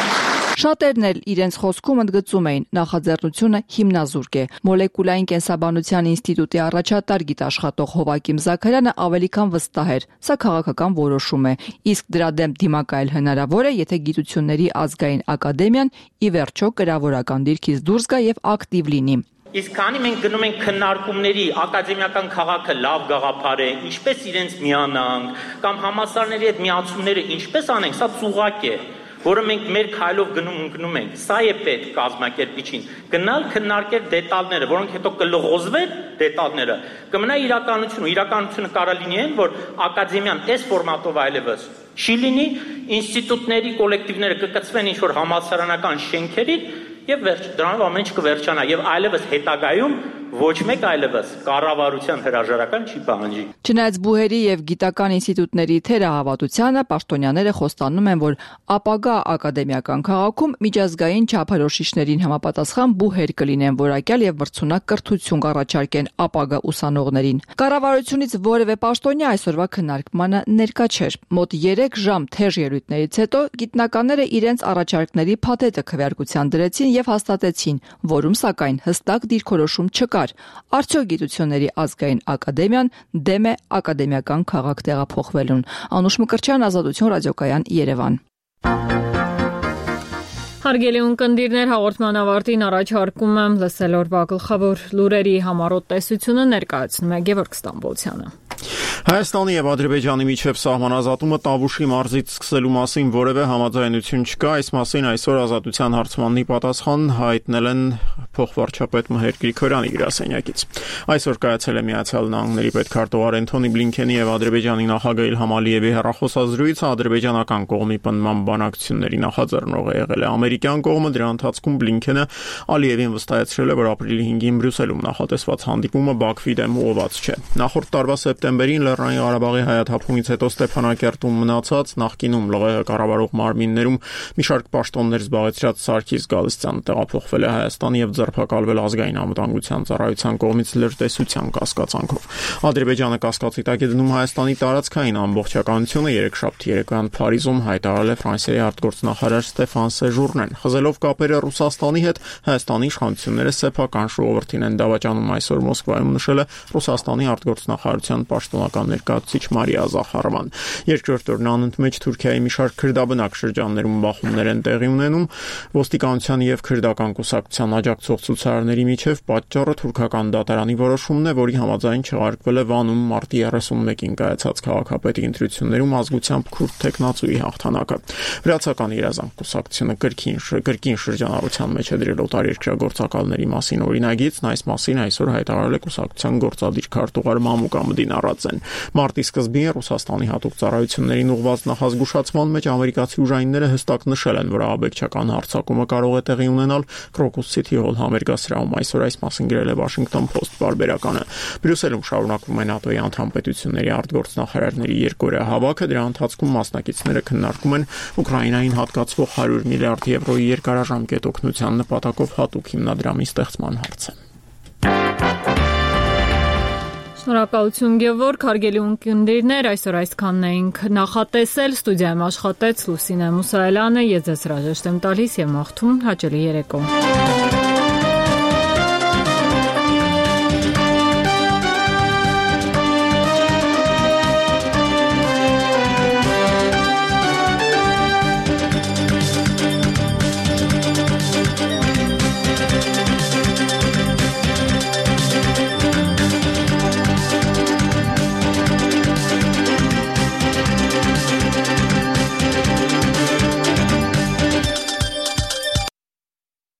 Շատերն էլ իրենց խոսքում ընդգծում էին նախաձեռնությունը հիմնազուրկ է։ Մոլեկուլային կենսաբանության ինստիտուտի առաջատար գիտաշխատող Հովակիմ Զաքարյանը ավելի քան վստահ էր, սա քաղաքական որոշում է, իսկ դրա դեմ դիմակայել հնարավոր է, եթե գիտությունների ազգային ակադեմիան ի վերջո կրավորական դիրքից դուրս գա եւ ակտիվ լինի։ Իսկ քանի մենք գնում ենք քննարկումների ակադեմիական քաղաքը լավ գաղափար է, ինչպես իրենց միանանք, կամ համասարների հետ միացումները ինչպես անենք, սա ծուղակ է, որը մենք մեր քայլով գնում ենք։ Սա է պետք կազմակերպիչին գնալ քննարկել դետալները, որոնք հետո կլղոզվեն դետալները, կմնա իրականությունը։ Իրականությունը կարա լինի այն, որ ակադեմիան այս ֆորմատով այլևս չի լինի, ինստիտուտների կոլեկտիվները կկցվեն ինչ-որ համալսարանական շենքերի եւ վերջ դրանով ամեն ինչ կվերջանա եւ այլևս հետագայում ոչ մեկ այլևս կառավարության հրաժարական չի պահանջի։ Չնայած բուհերի եւ գիտական ինստիտուտների թերահավատությանը պաշտոնյաները խոստանում են, որ ապագա ակադեմիական քաղաքում միջազգային չափորոշիչներին համապատասխան բուհեր կլինեն, որակյալ եւ մրցունակ կրթություն կառաջարկեն ապագա ուսանողներին։ Կառավարությունից որևէ պաշտոնյա այսօրվա քննարկմանը ներկա չէր։ Մոտ 3 ժամ թեժ ելույթներից հետո գիտնականները իրենց առաջարկների փաթեթը քվեարկության դրեցին եւ հաստատեցին, որում սակայն հստակ դիրքորոշում չկար։ Արդյոք գիտությունների ազգային ակադեմիան դեմ է ակադեմիական քաղաք տեղափոխվելուն։ Անուշ Մկրտչյան, Ազատություն ռադիոկայան, Երևան։ Հարգելի ունկնդիրներ, հաղորդման ավարտին առաջարկում եմ լսել օրվա գլխավոր լուրերի համառոտ տեսությունը ներկայացնում է Գևորգ Ստամբոլցյանը։ Հայաստանի եւ Ադրբեջանի միջև սահմանազատումը Տավուշի մարզից սկսելու մասին որևէ համաձայնություն չկա, այս մասին այսօր Ազատության հարցմանի պատասխան հայտնել են փոխվարչապետ Մհեր Գրիգորյանի գրասենյակից։ Այսօր կայացել է Միացյալ Նահանգների պետքարտուղար Էնթոնի Բլինքենի եւ Ադրբեջանի նախագահ Իլհամ Ալիևի հեռախոսազրույցը ադրբեջանական կողմի պնդման բանակցությունների նախաձեռնողը եղել է ամերիկյան կողմը, դրա ընթացքում Բլինքենը Ալիևին վստահեցրել է, որ ապրիլի 5-ին Բրյուսելում նախատեսված հանդիպումը Բաքվի դեմ ուղղված չէ։ Նախորդ տարվա սեպտեմբերին Լեռնային Ղարաբաղի հայաթափումից հետո Ստեփանակերտում մնացած նախկինում ԼՂՀ կառավարող մարմիններում մի շարք պաշտոններ զբաղեցրած Սարգիս Գալստյանը տեղափոխվել է Հայաստան եւ ձերբակալվել ազգային անվտանգության ծառայության կողմից լրտեսության կասկածանքով։ Ադրբեջանը կասկածի տակ է դնում Հայաստանի տարածքային ամբողջականությունը, երեքշաբթի երեկոյան Փարիզում հայտարարել է Ֆրանսիայի արտգործնախարար Ստեֆան Սեժուրնեն։ Խզելով կապերը Ռուսաստանի հետ, Հայաստանի իշխանությունները սեփական ժողովրդին են դավաճանում, այսօր Մոսկվայում նշել է Ռուսաստանի արտգործնախարարության պաշտոնական ներկայացուցիչ Մարիա Զախարովան։ Երկրորդ օրն անընդմեջ Թուրքիայի մի շարք քրդաբնակ շրջաններում բախումներ են տեղի ունենում, ոստիկանության եւ քրդական կուսակցության աջակցող ցուցարարների միջև պատճառը թուրքական դատարանի որոշումն է, որի համաձայն չեղարկվել է Վանում մարտի 31-ին կայացած քաղաքապետի ընտրություններում ազգությամբ քուրդ տեխնացուի հաղթանակը։ Վրացական իրազանք կուսակցությունը կրկին շրջանառության մեջ է դրել օտարերկրագործակալների մասին օրինագիծն, այս մասին այսօր հայտարարել է կուսակցության գործադիր քարտուղար Մամուկ Ամդին Արածեն։ Մարտի սկզբին Ռուսաստանի հատուկ ծառայություններին ուղղված նախազգուշացման մեջ ամերիկացի ուժայինները հստակ նշել են, որ ահաբեկչական հարձակումը կարող է տեղի ունենալ Crocus City Hall համերգասրահում, այսօր այս մասին գրել է Washington Post պարբերականը։ Բրյուսելում շարունակվում է ՆԱՏՕ-ի անդամ պետությունների արտգործնախարարների երկօրյա հավաքը, դրա ընթացքում մասնակիցները քննարկում են Ուկրաինային հատկացվող 100 միլիարդ եվրոյի երկարաժամկետ օգնության նպատակով հատուկ հիմնադրամի ստեղծման հարցը։ Շնորհակալություն Գևորգ, հարգելի ունկնդիրներ, այսօր այսքանն էինք նախատեսել, ստուդիայում աշխատեց Լուսինե Մուսայելյանը, ես ձեզ հրաժեշտ եմ տալիս եւ մաղթում հաճելի երեկո։